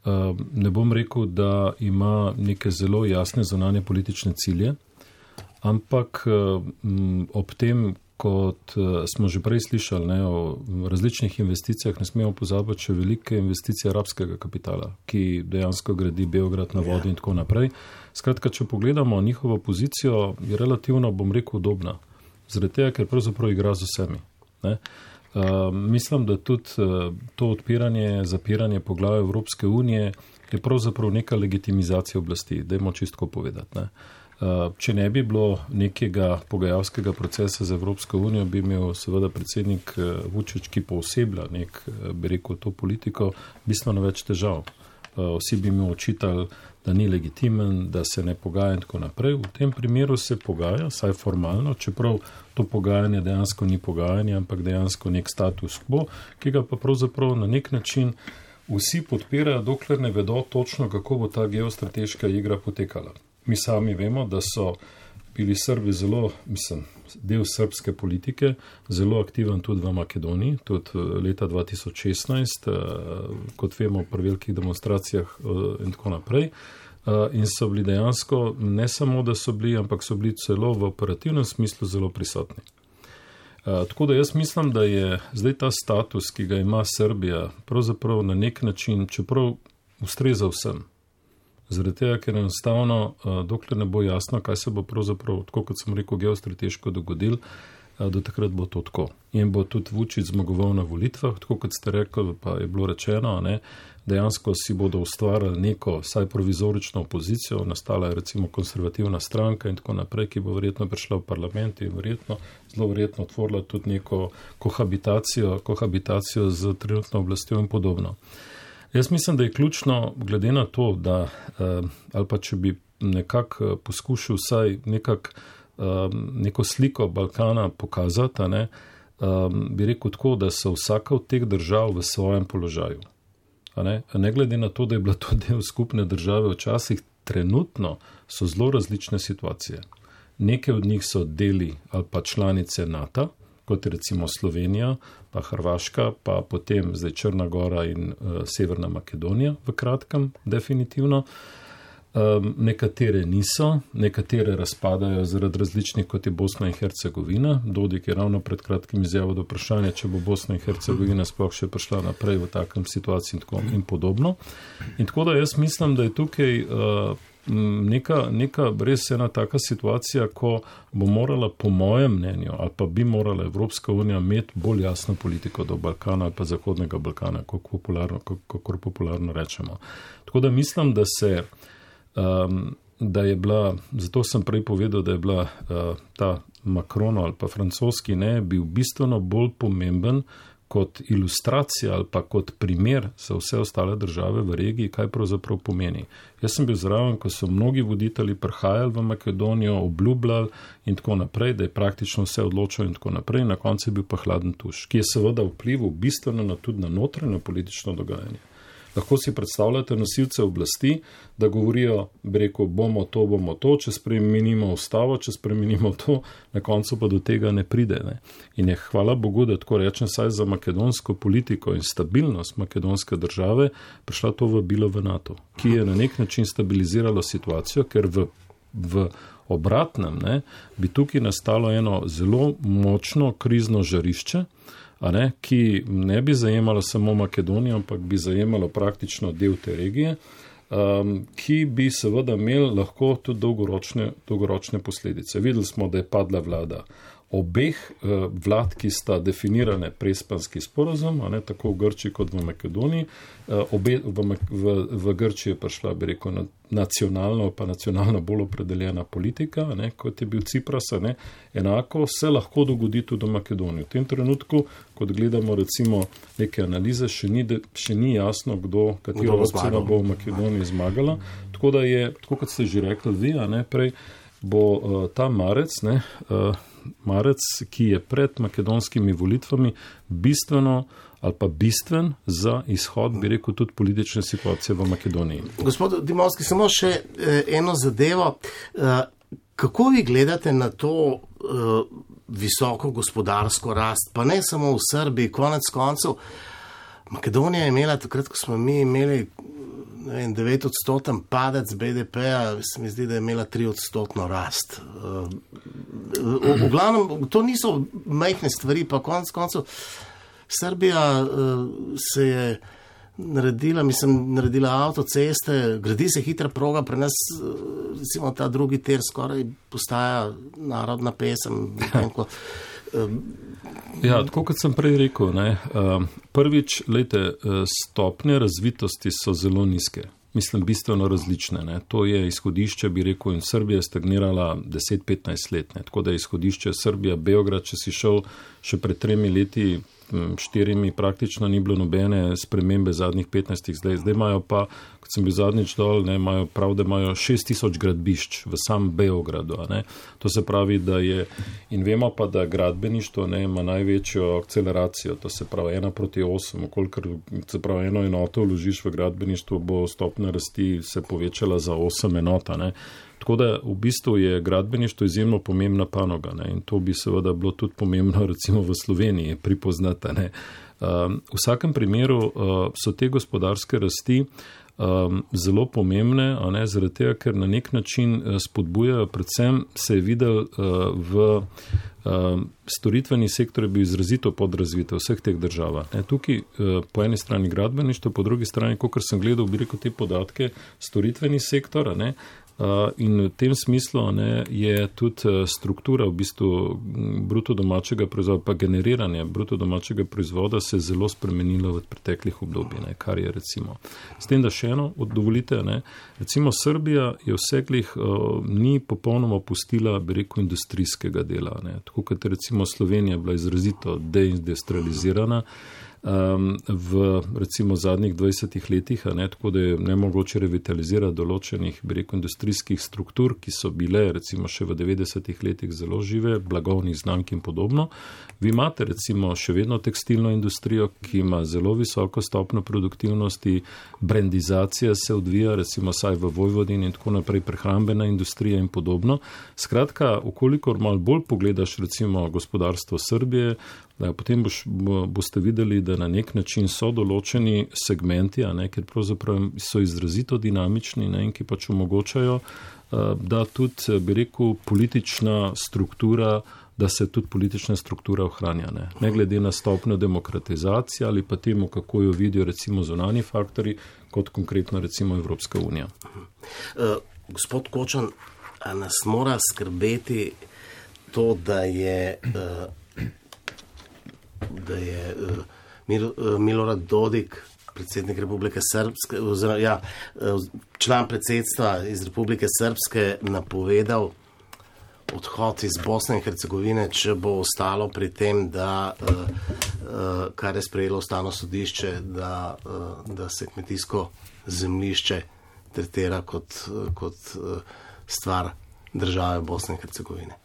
Uh, ne bom rekel, da ima neke zelo jasne zunanje politične cilje, ampak uh, m, ob tem, kot uh, smo že prej slišali, ne, o različnih investicijah, ne smemo pozabiti še velike investicije arabskega kapitala, ki dejansko gradi Beograd na vodi in tako naprej. Skratka, če pogledamo njihovo pozicijo, je relativno, bom rekel, udobna. Zaradi tega, ker pravzaprav igra z vsemi. Ne. Uh, mislim, da tudi uh, to odpiranje, zapiranje poglavja Evropske unije je pravzaprav neka legitimizacija oblasti, dajmo čistko povedati. Ne. Uh, če ne bi bilo nekega pogajalskega procesa za Evropsko unijo, bi imel seveda predsednik uh, Vučić, ki pooseblja nek, uh, bi rekel, to politiko, bistveno več težav. Uh, vsi bi mi očitali, da ni legitimen, da se ne pogaja in tako naprej. V tem primeru se pogaja, saj formalno, čeprav to pogajanje dejansko ni pogajanje, ampak dejansko nek status quo, ki ga pa pravzaprav na nek način vsi podpirajo, dokler ne vedo točno, kako bo ta geostrateška igra potekala. Mi sami vemo, da so bili Srbi zelo, mislim, del srbske politike, zelo aktiven tudi v Makedoniji, tudi leta dva tisoč šestnajst, kot vemo, pri velikih demonstracijah in tako naprej. In so bili dejansko, ne samo, da so bili, ampak so bili celo v operativnem smislu zelo prisotni. Tako da jaz mislim, da je zdaj ta status, ki ga ima Srbija, pravzaprav na nek način, čeprav ustreza vsem. Zaradi tega, ker enostavno, dokler ne bo jasno, kaj se bo pravzaprav, tako kot sem rekel, geostrateško dogodil, do takrat bo to tako. In bo tudi Vučić zmagoval na volitvah, tako kot ste rekli, pa je bilo rečeno, ne, dejansko si bodo ustvarjali neko, saj provizorično opozicijo, nastala je recimo konservativna stranka in tako naprej, ki bo verjetno prišla v parlament in verjetno, zelo verjetno otvorila tudi neko kohabitacijo, kohabitacijo z trenutno oblastjo in podobno. Jaz mislim, da je ključno, glede na to, da, ali pa če bi nekako poskušal vsaj nekak, neko sliko Balkana pokazati, ne, bi rekel tako, da so vsaka od teh držav v svojem položaju. Ne, ne glede na to, da je bila to del skupne države, včasih trenutno so zelo različne situacije. Neke od njih so deli ali pa članice NATO, kot recimo Slovenija, pa Hrvaška, pa potem zdaj Črna Gora in uh, Severna Makedonija v kratkem, definitivno. Um, nekatere niso, nekatere razpadajo zaradi različnih, kot je Bosna in Hercegovina. Dodik je ravno pred kratkim izjavil do vprašanja, če bo Bosna in Hercegovina sploh še prišla naprej v takem situaciji in, tako, in podobno. In tako da jaz mislim, da je tukaj uh, neka, neka res ena taka situacija, ko bo morala po mojem mnenju, ali pa bi morala Evropska unija imeti bolj jasno politiko do Balkana ali pa Zahodnega Balkana, kako popularno, kako popularno rečemo. Tako da mislim, da se Um, da je bila, zato sem prej povedal, da je bila uh, ta Macron ali pa francoski ne, bil bistveno bolj pomemben kot ilustracija ali pa kot primer za vse ostale države v regiji, kaj pravzaprav pomeni. Jaz sem bil zraven, ko so mnogi voditelji prihajali v Makedonijo, obljubljali in tako naprej, da je praktično vse odločilo in tako naprej, na koncu je bil pa hladen tuš, ki je seveda vplival bistveno na, tudi na notranje politično dogajanje. Lahko si predstavljate nosilce oblasti, da govorijo, bi rekel, bomo to, bomo to, če spremenimo ustavo, če spremenimo to, na koncu pa do tega ne pride. Ne. In je, hvala Bogu, da tako rečem, saj za makedonsko politiko in stabilnost makedonske države prišla to vabilo v NATO, ki je na nek način stabiliziralo situacijo, ker v, v obratnem ne, bi tukaj nastalo eno zelo močno krizno žarišče, a ne, ki ne bi zajemalo samo Makedonijo, ampak bi zajemalo praktično del te regije, um, ki bi seveda imel lahko tudi dolgoročne, dolgoročne posledice. Videli smo, da je padla vlada obeh uh, vlad, ki sta definirane prespanski sporazum, a ne, tako v Grčiji kot v Makedoniji. Uh, obe, v, v, v Grčiji je prišla, bi rekel, na, nacionalno, pa nacionalno bolj opredeljena politika, a ne, kot je bil Cipras, a ne, enako se lahko dogodi tudi v Makedoniji. V tem trenutku, kot gledamo recimo neke analize, še ni, de, še ni jasno, kdo, katero opcija bo v Makedoniji zmagala. Tako da je, tako kot ste že rekli vi, a ne, prej bo uh, ta marec, ne, uh, marec, ki je pred makedonskimi volitvami bistveno ali pa bistven za izhod, bi rekel, tudi politične situacije v Makedoniji. Gospod Dimovski, samo še eno zadevo. Kako vi gledate na to visoko gospodarsko rast, pa ne samo v Srbiji, konec koncev? Makedonija je imela, takrat, ko smo mi imeli devet odstoten padec B D P-a, se mi zdi, da je imela tri odstotno rast. V, v glavnem, to niso majhne stvari, pa konec koncev Srbija se je naredila, mislim, naredila avtoceste, gradi se hitra proga, pri nas, recimo, ta drugi tir skoraj postaja narodna pesem. Ja, tako kot sem prej rekel, ne, prvič, lejte, stopnje razvitosti so zelo nizke. Mislim, bistveno različne. Ne. To je izhodišče, bi rekel, in Srbija je stagnirala deset do petnajst let. Ne. Tako da je izhodišče Srbija, Beograd, če si šel še pred tremi leti, štirimi, praktično ni bilo nobene spremembe zadnjih petnajstih zdaj. Zdaj imajo pa, kot sem bil zadnjič dol, ne, imajo prav, da imajo šest tisoč gradbišč v sam Beogradu. Ne. To se pravi, da je, in vemo pa, da gradbeništvo ne, ima največjo akceleracijo, to se pravi ena proti osem, okolikor se pravi eno enoto vložiš v gradbeništvo, bo stopnja rasti se povečala za osem enota. Ne. Tako da v bistvu je gradbeništvo izjemno pomembna panoga, ne, in to bi seveda bilo tudi pomembno recimo v Sloveniji pripoznati. Ne. Um, v vsakem primeru uh, so te gospodarske rasti um, zelo pomembne, a ne, zaradi tega, ker na nek način spodbujajo, predvsem se je videl uh, v um, storitveni sektor je bil izrazito podrazvit v vseh teh državah. Ne. Tukaj uh, po eni strani gradbeništvo, po drugi strani, kakor sem gledal, bi rekel te podatke, storitveni sektor, ne, Uh, in v tem smislu ne, je tudi struktura v bistvu bruto domačega proizvoda, pa generiranje bruto domačega proizvoda se je zelo spremenilo v preteklih obdobjih, ne, kar je recimo. S tem, da še eno dovolite, ne, recimo Srbija je vseglih uh, ni popolnoma opustila, bi rekel, industrijskega dela. Ne, tako kot recimo Slovenija bila izrazito deindustrializirana, Um, v recimo zadnjih dvajsetih letih, a ne, tako da je nemogoče revitalizirati določenih, bi rekel, industrijskih struktur, ki so bile recimo še v devetdesetih letih zelo žive, blagovnih znamk in podobno. Vi imate recimo še vedno tekstilno industrijo, ki ima zelo visoko stopnjo produktivnosti, brandizacija se odvija, recimo saj v Vojvodini in tako naprej, prehrambena industrija in podobno. Skratka, ukolikor malo bolj pogledaš recimo gospodarstvo Srbije, da, potem boš, bo, boste videli, da na nek način so določeni segmenti, a ne, ker pravzaprav so izrazito dinamični, ne, in ki pač omogočajo, da tudi, bi rekel, politična struktura, da se tudi politična struktura ohranja. Ne, ne glede na stopnjo demokratizacije ali pa temu, kako jo vidijo recimo zunanji faktori, kot konkretno recimo Evropska unija. Uh, gospod Kočan, a nas mora skrbeti to, da je uh, da je uh, Mil, uh, Milorad Dodik, predsednik Republike Srpske, oziroma ja, uh, član predsedstva iz Republike Srpske, napovedal odhod iz Bosne in Hercegovine, če bo ostalo pri tem, da, uh, uh, kar je sprejelo Ustavno sodišče, da, uh, da se kmetijsko zemljišče tretira kot, uh, kot uh, stvar države Bosne in Hercegovine.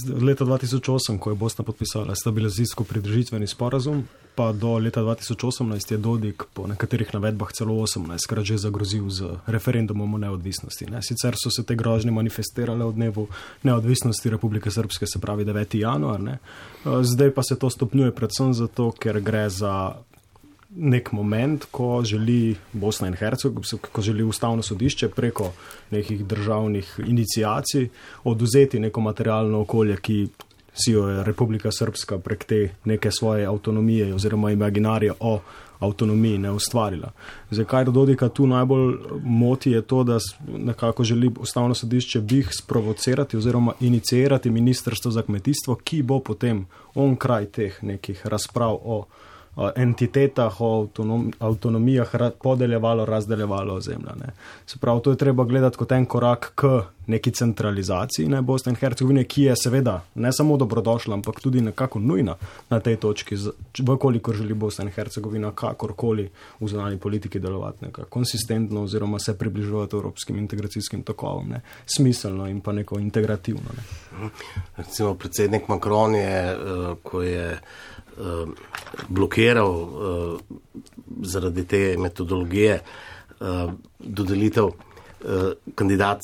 Leta dva tisoč osem, ko je Bosna podpisala stabilizacijsko pridružitveni sporazum, pa do leta dva tisoč osemnajst je Dodik po nekaterih navedbah celo osemnajstkrat že zagrozil z referendumom o neodvisnosti. Ne. Sicer so se te grožnje manifestirale v dnevu neodvisnosti Republike Srpske, se pravi deveti januar. Ne. Zdaj pa se to stopnjuje predvsem zato, ker gre za nek moment, ko želi Bosna in Hercegovina, ko želi Ustavno sodišče preko nekih državnih iniciacij oduzeti neko materialno okolje, ki si jo je Republika Srpska prek te neke svoje avtonomije oziroma imaginarije o avtonomiji ne ustvarila. Zakaj Dodika tu najbolj moti je to, da nekako želi Ustavno sodišče bih sprovocirati oziroma iniciirati Ministrstvo za kmetijstvo, ki bo potem on kraj teh nekih razprav o entitetah, o avtonom, avtonomijah podeljevalo, razdeljevalo zemlja. Ne. Se pravi, to je treba gledati kot en korak k neki centralizaciji ne, Bosne in Hercegovine, ki je seveda ne samo dobrodošla, ampak tudi nekako nujna na tej točki, vkolikor želi Bosna in Hercegovina kakorkoli v zunanji politiki delovati nekako konsistentno oziroma se približevati evropskim integracijskim tokovom, ne, smiselno in pa neko integrativno. Ne. Recimo predsednik Macron je, ko je blokiral zaradi te metodologije dodelitev kandidat,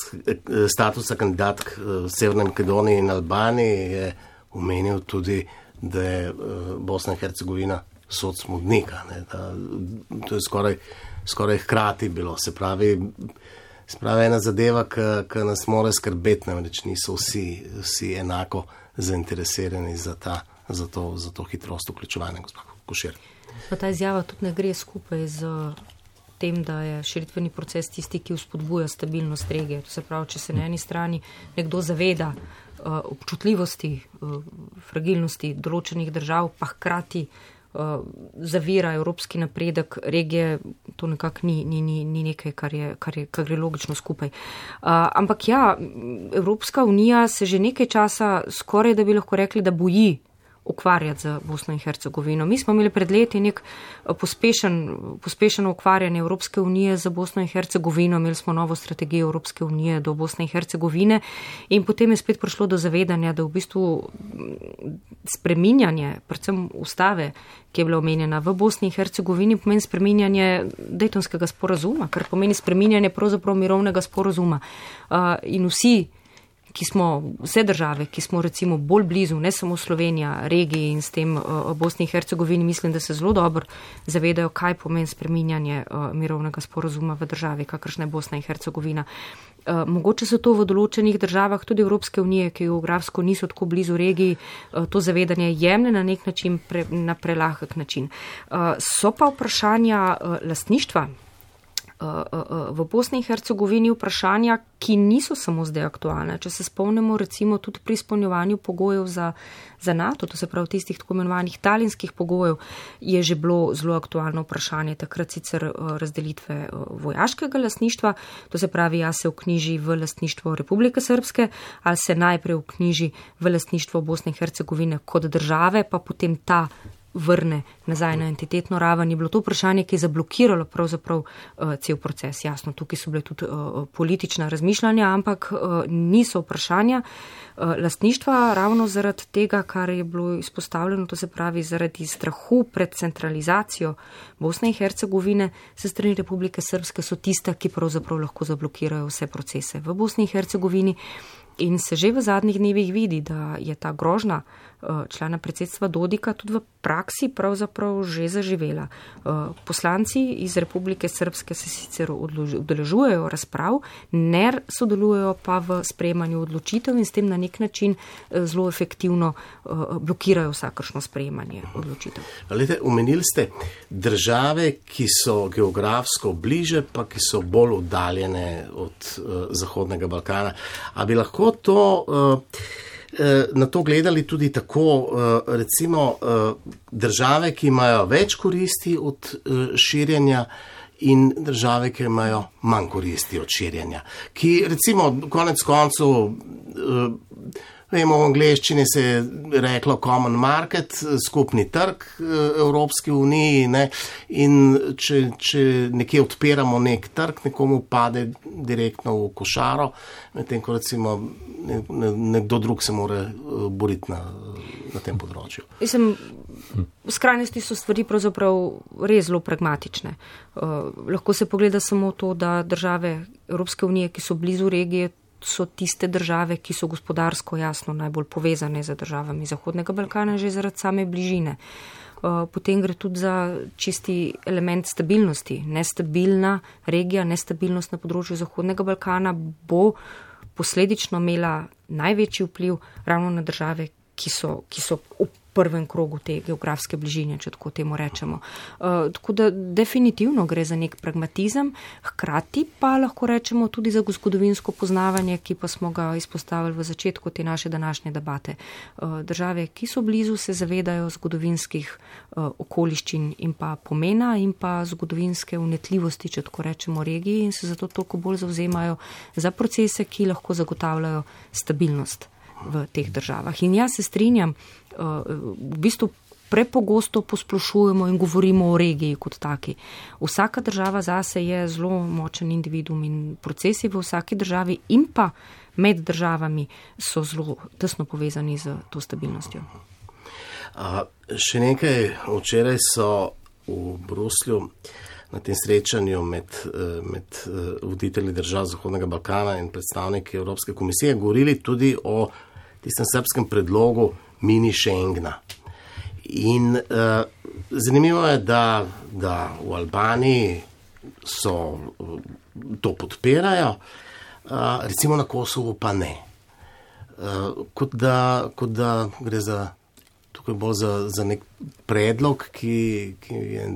statusa kandidatk v Severni Makedoniji in Albaniji, je omenil tudi, da je Bosna in Hercegovina sod smodnika. Ne, da, to je skoraj, skoraj hkrati bilo. Se pravi, se pravi ena zadeva, ki nas mora skrbeti, namreč niso vsi, vsi enako zainteresirani za, ta, za, to, za to hitrost vključevanja, gospod Košir. Pa ta izjava tudi ne gre skupaj z tem, da je širitveni proces tisti, ki vzpodbuja stabilnost regije. To se pravi, če se na eni strani nekdo zaveda uh, občutljivosti, uh, fragilnosti določenih držav, pa hkrati uh, zavira evropski napredek regije, to nekako ni, ni, ni, ni nekaj, kar, je, kar, je, kar gre logično skupaj. Uh, ampak ja, Evropska unija se že nekaj časa skoraj, da bi lahko rekli, da boji ukvarjati z Bosno in Hercegovino. Mi smo imeli pred leti nek pospešen, pospešeno ukvarjanje Evropske unije za Bosno in Hercegovino, imeli smo novo strategijo Evropske unije do Bosne in Hercegovine in potem je spet prišlo do zavedanja, da v bistvu spreminjanje, predvsem ustave, ki je bila omenjena v Bosni in Hercegovini, pomeni spreminjanje Dejtonskega sporazuma, kar pomeni spreminjanje pravzaprav mirovnega sporazuma. Uh, in vsi ki smo, vse države, ki smo recimo bolj blizu, ne samo Slovenija, regiji in s tem uh, Bosni in Hercegovini, mislim, da se zelo dobro zavedajo, kaj pomeni spreminjanje uh, mirovnega sporazuma v državi, kakršna je Bosna in Hercegovina. Uh, mogoče so to v določenih državah, tudi Evropske unije, ki geografsko niso tako blizu regiji, uh, to zavedanje jemlje na nek način, pre, na prelahek način. Uh, so pa vprašanja uh, lastništva v Bosni in Hercegovini, vprašanja, ki niso samo zdaj aktualne. Če se spomnimo recimo tudi pri izpolnjevanju pogojev za, za NATO, to se pravi tistih tako imenovanih talinskih pogojev, je že bilo zelo aktualno vprašanje, takrat sicer razdelitve vojaškega lastništva, to se pravi, ja se vknjiži v lastništvo Republike Srpske, ali se najprej vknjiži v lastništvo Bosne in Hercegovine kot države, pa potem ta vrne nazaj na entitetno raven, je bilo to vprašanje, ki je zablokiralo pravzaprav uh, cel proces. Jasno, tukaj so bile tudi uh, politična razmišljanja, ampak uh, niso vprašanja uh, lastništva ravno zaradi tega, kar je bilo izpostavljeno, to se pravi zaradi strahu pred centralizacijo Bosne in Hercegovine se strani Republike Srpske so tiste, ki pravzaprav lahko zablokirajo vse procese v Bosni in Hercegovini. In se že v zadnjih dnevih vidi, da je ta grožnja člana predsedstva Dodika tudi v praksi pravzaprav že zaživela. Poslanci iz Republike Srpske se sicer udeležujejo razprav, ne sodelujejo pa v sprejemanju odločitev in s tem na nek način zelo efektivno blokirajo vsakršno sprejemanje odločitev. Lete, omenili ste države, ki so geografsko bliže, pa ki so bolj oddaljene od uh, Zahodnega Balkana. A bi lahko to uh, na to gledali tudi tako, recimo države, ki imajo več koristi od širjenja in države, ki imajo manj koristi od širjenja. Ki recimo konec koncev, vemo, v angleščini se je reklo common market, skupni trg Evropske unije, ne? In če, če nekje odpiramo nek trg, nekomu pade direktno v košaro, medtem ko recimo nekdo drug se mora boriti na, na tem področju. Mislim, v skrajnosti so stvari pravzaprav res zelo pragmatične. Uh, lahko se pogleda samo to, da države Evropske unije, ki so blizu regije, so tiste države, ki so gospodarsko jasno najbolj povezane z državami Zahodnega Balkana, že zaradi same bližine. Potem gre tudi za čisti element stabilnosti. Nestabilna regija, nestabilnost na področju Zahodnega Balkana bo posledično imela največji vpliv ravno na države, ki so, ki so prvem krogu te geografske bližine, če tako temu rečemo. Uh, tako da definitivno gre za nek pragmatizem, hkrati pa lahko rečemo tudi za zgodovinsko poznavanje, ki pa smo ga izpostavili v začetku te naše današnje debate. Uh, države, ki so blizu, se zavedajo zgodovinskih uh, okoliščin in pa pomena in pa zgodovinske unetljivosti, če tako rečemo, regiji in se zato toliko bolj zavzemajo za procese, ki lahko zagotavljajo stabilnost v teh državah. In jaz se strinjam, v bistvu prepogosto posplošujemo in govorimo o regiji kot taki. Vsaka država zase je zelo močen individuum in procesi v vsaki državi in pa med državami so zelo tesno povezani z to stabilnostjo. A, še nekaj, včeraj so v Bruslju na tem srečanju med, med voditelji držav Zahodnega Balkana in predstavniki Evropske komisije govorili tudi o tistem srbskem predlogu mini Schengna. In uh, zanimivo je, da, da v Albaniji so uh, to podpirajo, uh, recimo na Kosovu pa ne. Uh, kot, da, kot da gre za, tukaj bolj za, za nek predlog, ki, ki je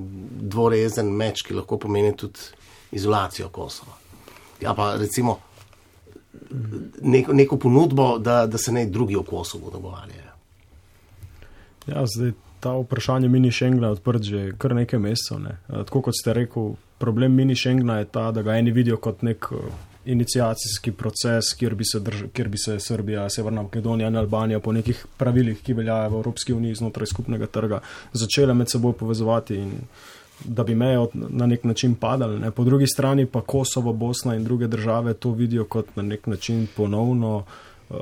dvorezen meč, ki lahko pomeni tudi izolacijo Kosova. Ja pa recimo neko, neko ponudbo, da, da se ne drugi o Kosovu dogovarjajo. Ja, zdaj ta vprašanje mini Schengena je odprt že kar nekaj mesecev. Ne. Tako kot ste rekel, problem mini Schengena je ta, da ga eni vidijo kot nek iniciacijski proces, kjer bi se, drž- kjer bi se Srbija, Severna Makedonija in Albanija po nekih pravilih, ki veljajo v Evropski uniji znotraj skupnega trga, začele med seboj povezovati in da bi meje na nek način padali. Ne. Po drugi strani pa Kosovo, Bosna in druge države to vidijo kot na nek način ponovno uh,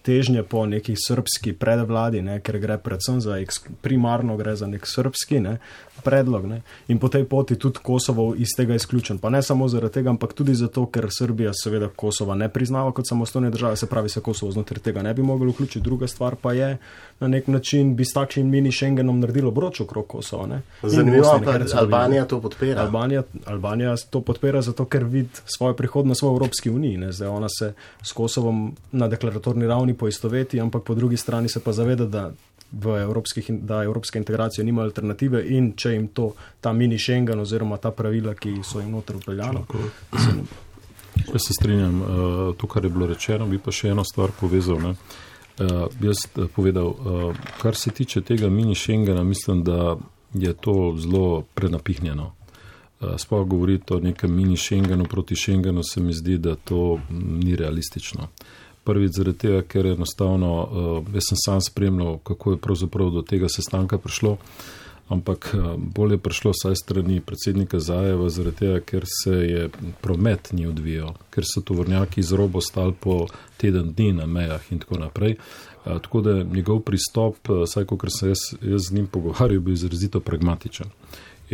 težnje po neki srbski predvladi, ne, ker gre predvsem za, primarno gre za nek srbski ne, predlog. Ne. In po tej poti tudi Kosovo iz tega izključen. Pa ne samo zaradi tega, ampak tudi zato, ker Srbija seveda Kosova ne priznava kot samostojne države, se pravi, se Kosovo znotraj tega ne bi moglo vključiti. Druga stvar pa je, na nek način bi s takšnim mini Schengenom naredilo broč okrog Kosova. Ne. Zanimivo pa, Albanija to podpira. Albanija, Albanija to podpira zato, ker vidi svojo prihodnost v Evropski uniji. Ne. Zdaj ona se s Kosovom na deklaratorni ravni poistoveti, ampak po drugi strani se pa zaveda, da v evropskih, da evropske integracije nima alternative in če jim to, ta mini Schengen oziroma ta pravila, ki so jim noter upeljano. Jaz se strinjam, to, kar je bilo rečeno, bi pa še eno stvar povezal. Ne? Jaz povedal, kar se tiče tega mini Schengena, mislim, da je to zelo prenapihnjeno. Sploh govoriti o nekem mini Schengenu proti Schengenu, se mi zdi, da to ni realistično. Prvič zaradi tega, ker je enostavno, jaz sem sam spremljal, kako je pravzaprav do tega sestanka prišlo, ampak bolje je prišlo saj strani predsednika Zajeva zaradi tega, ker se je promet ni odvijal, ker so tovornjaki iz robo stali po teden dni na mejah in tako naprej. Tako da njegov pristop, saj kot se jaz, jaz z njim pogovarjal, bil izrazito pragmatičen.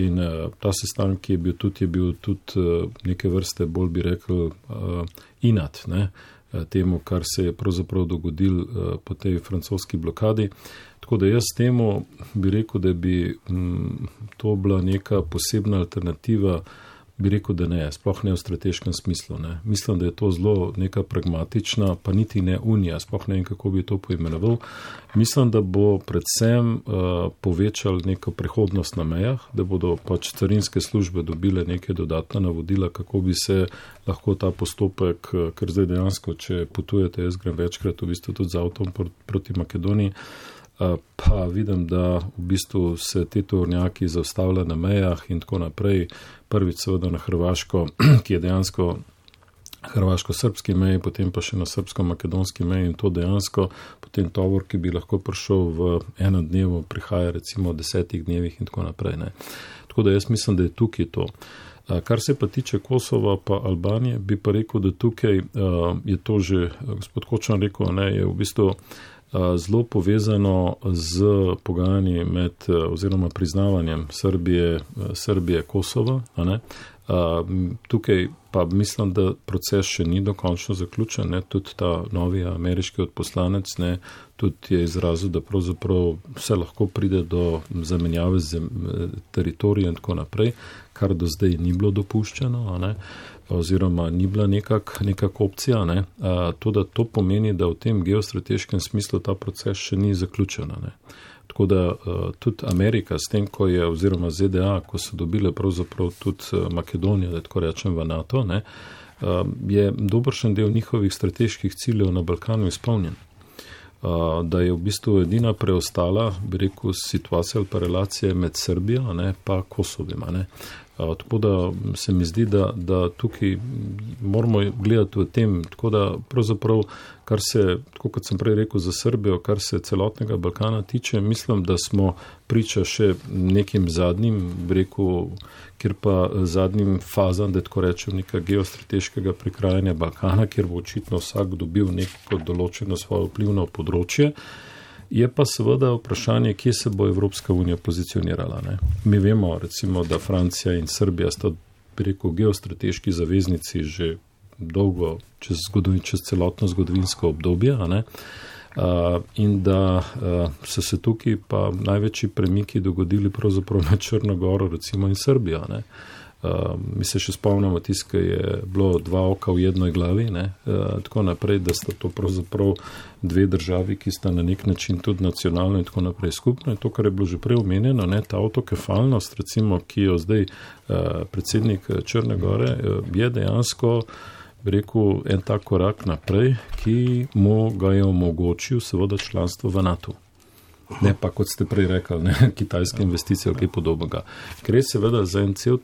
In ta sestanek je bil tudi, je bil tudi neke vrste, bolj bi rekel, inat, ne? Temu, kar se je pravzaprav dogodil po tej francoski blokadi. Tako da jaz temu bi rekel, da bi m, to bila neka posebna alternativa, bi rekel, da ne, sploh ne v strateškem smislu. Ne. Mislim, da je to zelo neka pragmatična, pa niti ne unija, sploh ne vem, kako bi to poimenoval. Mislim, da bo predvsem uh, povečal neko prehodnost na mejah, da bodo pač carinske službe dobile neke dodatna navodila, kako bi se lahko ta postopek, ker zdaj dejansko, če potujete, jaz grem večkrat v bistvu tudi z avtom proti Makedoniji, pa vidim, da v bistvu se te tovornjaki zaustavljajo na mejah in tako naprej. Prvič seveda na Hrvaško, ki je dejansko hrvaško-srpski meji, potem pa še na srpsko-makedonski meji in to dejansko potem tovor, ki bi lahko prišel v enem dnevu, prihaja recimo v desetih dnevih in tako naprej. Ne. Tako da jaz mislim, da je tukaj to. Kar se pa tiče Kosova pa Albanije, bi pa rekel, da tukaj je to že, gospod Kočan rekel, ne, je v bistvu zelo povezano z pogajanji med oziroma priznavanjem Srbije, Srbije Kosova. A ne? Tukaj pa mislim, da proces še ni dokončno zaključen. Ne? Tudi ta novi ameriški odposlanec ne, tudi je izrazil, da pravzaprav vse lahko pride do zamenjave z teritorijem in tako naprej, kar do zdaj ni bilo dopuščeno. A ne? Oziroma ni bila nekak, nekak opcija. Ne? A, to, da to pomeni, da v tem geostrateškem smislu ta proces še ni zaključen. Ne? Tako da tudi Amerika s tem, ko je, oziroma Z D A, ko so dobile pravzaprav tudi Makedonijo, da tako rečem v NATO, ne, je dobršen del njihovih strateških ciljev na Balkanu izpolnjen. Da je v bistvu edina preostala, bi rekel, situacija ali pa relacije med Srbijo, ne, pa Kosovima, ne. Tako da se mi zdi, da, da tukaj moramo gledati v tem, tako da pravzaprav, kar se, tako kot sem prej rekel za Srbijo, kar se celotnega Balkana tiče, mislim, da smo priča še nekim zadnjim, bi rekel, kjer pa zadnjim fazam, da tako rečem, nekaj geostrateškega prekrajanja Balkana, kjer bo očitno vsak dobil neko določeno svoje vplivno področje. Je pa seveda vprašanje, kje se bo Evropska unija pozicionirala. Ne? Mi vemo, recimo, da Francija in Srbija sta, bi rekel, geostrateški zaveznici že dolgo, čez, zgodovin, čez celotno zgodovinsko obdobje, a ne? Uh, in da uh, so se tukaj pa največji premiki dogodili pravzaprav na Črno Goro, recimo, in Srbijo. Ne? Uh, mi se še spomnimo tis, ki je bilo dva oka v jednoj glavi, ne? Uh, tako naprej, da sta to pravzaprav dve državi, ki sta na nek način tudi nacionalno in tako naprej skupno. In to, kar je bilo že prej omenjeno, ne? Ta autokefalnost, recimo, ki jo zdaj uh, predsednik Črne Gore, uh, je dejansko, bi rekel, en tak korak naprej, ki mu ga je omogočil seveda članstvo v NATO. Ne pa, kot ste prej rekli, ne, kitajske investicije ali kaj podobnega. Gre seveda za en cel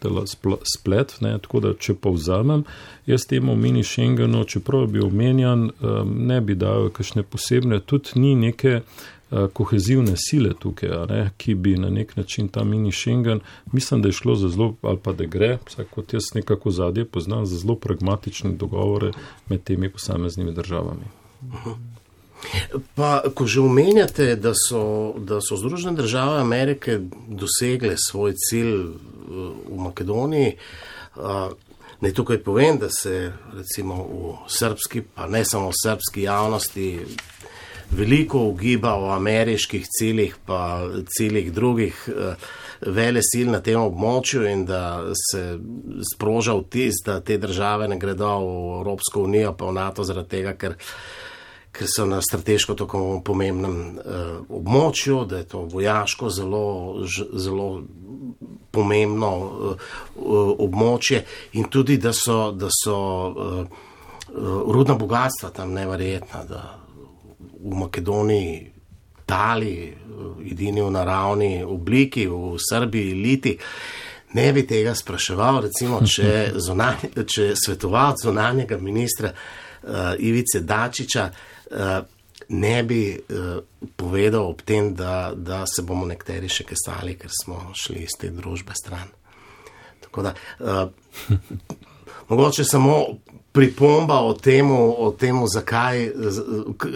splet, ne, tako da, če povzamem, jaz temu mini Schengenu, čeprav bi omenjan, ne bi dal kakšne posebne, tudi ni neke kohezivne sile tukaj, ne, ki bi na nek način ta mini Schengen, mislim, da je šlo za zelo, ali pa da gre, vsaj kot jaz nekako zadnje poznam, za zelo pragmatične dogovore med temi posameznimi državami. Uh-huh. Pa, ko že omenjate, da so, da so Združene države Amerike dosegle svoj cilj v Makedoniji, naj tukaj povem, da se recimo v srbski, pa ne samo v srbski javnosti, veliko ugiba o ameriških ciljih, pa ciljih drugih velesil na tem območju in da se sproža vtis, da te države ne gredo v Evropsko unijo, pa v NATO zaradi tega, ker ker so na strateško tako pomembnem uh, območju, da je to vojaško zelo, ž, zelo pomembno uh, uh, območje in tudi, da so, da so uh, uh, rudna bogatstva tam neverjetna, da v Makedoniji tali, uh, edini v naravni obliki, v Srbiji liti. Ne bi tega spraševal, recimo, če, zonanje, če svetovalec zunanjega ministra uh, Ivice Dačića Uh, ne bi uh, povedal ob tem, da, da se bomo nekateri še kesali, ker smo šli iz te družbe stran. Tako da, uh, mogoče samo pripomba o temu, o temu, zakaj,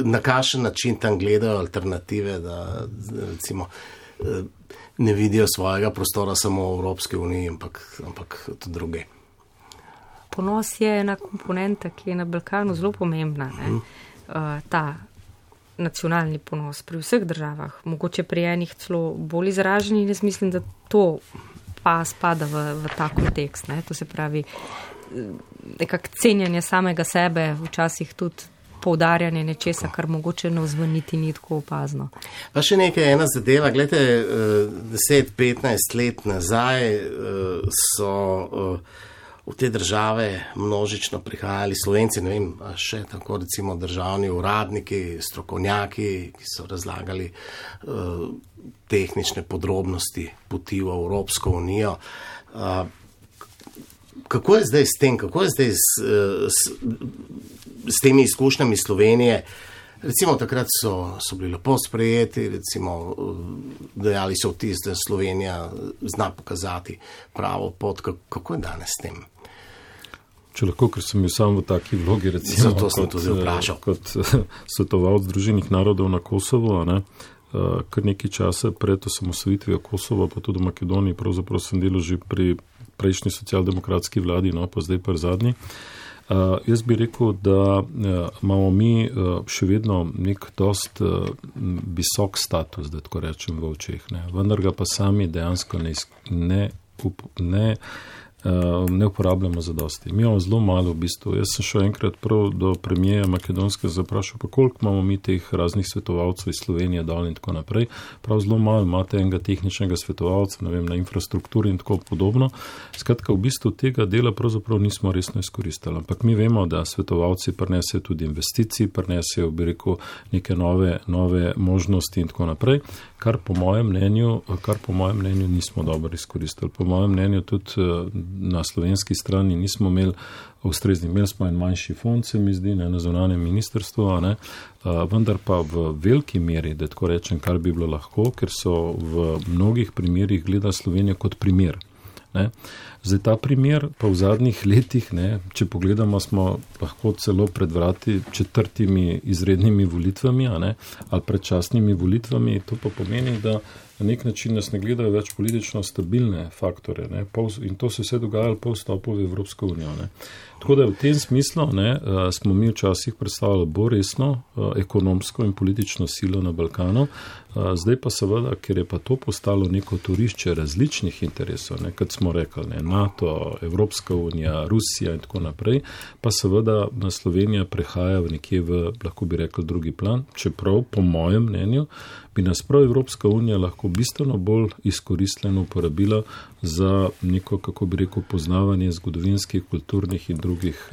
na kakšen način tam gledajo alternative, da recimo uh, ne vidijo svojega prostora samo v Evropski uniji, ampak, ampak tudi druge. Ponos je ena komponenta, ki je na Balkanu zelo pomembna, ne? Hmm. Uh, ta nacionalni ponos pri vseh državah, mogoče pri enih celo bolj izraženi, in jaz mislim, da to pa spada v, v ta kontekst. Ne? To se pravi, nekak cenjanje samega sebe, včasih tudi poudarjanje nečesa, kar mogoče ne ozvoniti ni tako opazno. Pa še nekaj, ena zadeva, gledajte, deset petnajst let nazaj so v te države množično prihajali Slovenci, ne vem, še tako recimo državni uradniki, strokovnjaki, ki so razlagali uh, tehnične podrobnosti poti v Evropsko unijo. Uh, kako je zdaj s tem, kako je zdaj s, s, s temi izkušnjami Slovenije? Recimo takrat so, so bili lepo sprejeti, recimo dejali so vtis, da Slovenija zna pokazati pravo pot. Kako je danes s tem? Če lahko, ker sem bil sam v taki vlogi, recimo, kot, kot svetovalec Združenih narodov na Kosovo, ne, kar nekaj časa pred osamosvojitvijo Kosova, pa tudi v Makedoniji, pravzaprav sem delal že pri prejšnji socialdemokratski vladi, no, pa zdaj pa zadnji. Uh, jaz bi rekel, da uh, imamo mi uh, še vedno nek dost uh, visok status, da tako rečem v očeh, ne. Vendar ga pa sami dejansko ne, ne, ne ne uporabljamo za dosti. Mi imamo zelo malo v bistvu. Jaz sem šel enkrat prav do premijeja Makedonske zaprašal, pa koliko imamo mi teh raznih svetovalcev iz Slovenije dol in tako naprej. Prav zelo malo imate enega tehničnega svetovalca, ne vem, na infrastrukturi in tako podobno. Skratka, v bistvu tega dela pravzaprav nismo resno izkoristili. Ampak mi vemo, da svetovalci prinesejo tudi investicij, prinesejo, bi rekel, neke nove, nove možnosti in tako naprej, kar po mojem mnenju, kar po mojem mnenju nismo dobro izkoristili. Po mojem mnenju tudi na slovenski strani nismo imeli ustrezni, imeli smo en manjši fond, se mi zdi, ne, na zunanjem ministrstvu, ne, vendar pa v veliki meri, da tako rečem, kar bi bilo lahko, ker so v mnogih primerih gleda Slovenijo kot primer. Ne. Zdaj ta primer pa v zadnjih letih, ne, če pogledamo, smo lahko celo pred vrati četrtimi izrednimi volitvami, a ne, ali predčasnimi volitvami, to pa pomeni, da na nek način nas ne gledajo več politično stabilne faktore, ne, pol, in to se vse dogajalo po vstopu v Evropsko unijo. Ne. Tako da v tem smislu ne, smo mi včasih predstavljali bolj resno ekonomsko in politično silo na Balkanu, zdaj pa seveda, ker je pa to postalo neko torišče različnih interesov, ne, kot smo rekli, ne, NATO, Evropska unija, Rusija in tako naprej, pa seveda na Slovenija prehaja v nekje v, lahko bi rekel, drugi plan, čeprav po mojem mnenju bi nas prav Evropska unija lahko bistveno bolj izkoristljeno uporabila za neko, kako bi rekel, poznavanje zgodovinskih, kulturnih in drugih,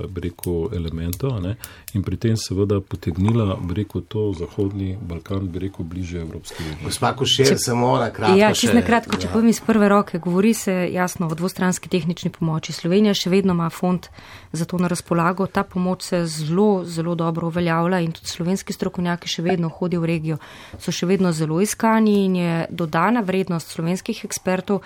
bi rekel, elementov, ne, in pri tem seveda potegnila, bi rekel, to zahodni Balkan, bi rekel, bliže Evropske unije. Gospa Košir, samo na kratko ja, še. Ja, na kratko, če povem iz prve roke, govori se jasno o dvostranski tehnični pomoči. Slovenija še vedno ima fond za to na razpolago. Ta pomoč se zelo, zelo dobro uveljavlja in tudi slovenski strokovnjaki še vedno hodijo v regijo. So še vedno zelo iskani in je dodana vrednost slovenskih ekspertov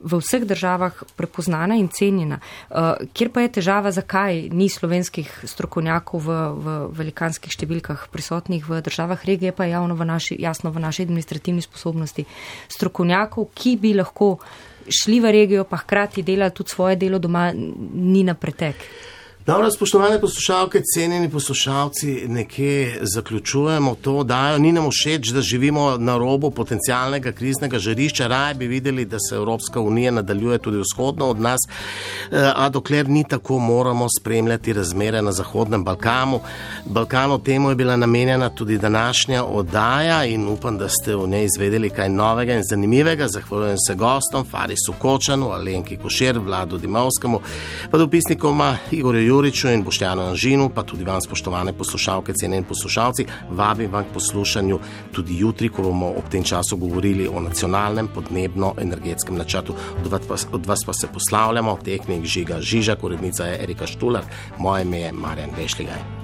v vseh državah prepoznana in cenjena. Uh, kjer pa je težava, zakaj ni slovenskih strokovnjakov v, v velikanskih številkah prisotnih v državah regije, pa je javno v naši, jasno v naši administrativni sposobnosti strokovnjakov, ki bi lahko šli v regijo, pa hkrati delali tudi svoje delo doma, ni na pretek. Dobro, spoštovane poslušalke, cenjeni poslušalci, nekje zaključujemo to, dajo, ni nam všeč, da živimo na robu potencialnega kriznega žarišča, raje bi videli, da se Evropska unija nadaljuje tudi vzhodno od nas, a dokler ni tako, moramo spremljati razmere na Zahodnem Balkanu. Balkanu temu je bila namenjena tudi današnja oddaja in upam, da ste v njej izvedeli kaj novega in zanimivega. Zahvaljujem se gostom, Farisu Kočanu, Alenki Košir, Vladu Dimovskemu, pa dopisnikoma Igorju Juriču in Boštjanu Anžinu, pa tudi vam, spoštovane poslušalke, cenjeni poslušalci, vabim vam k poslušanju tudi jutri, ko bomo ob tem času govorili o nacionalnem podnebno-energetskem načrtu. Od vas, od vas pa se poslavljamo, tehnik Žiga Žižak, urednica je Erika Štular, moje ime je Marjan Vešligaj.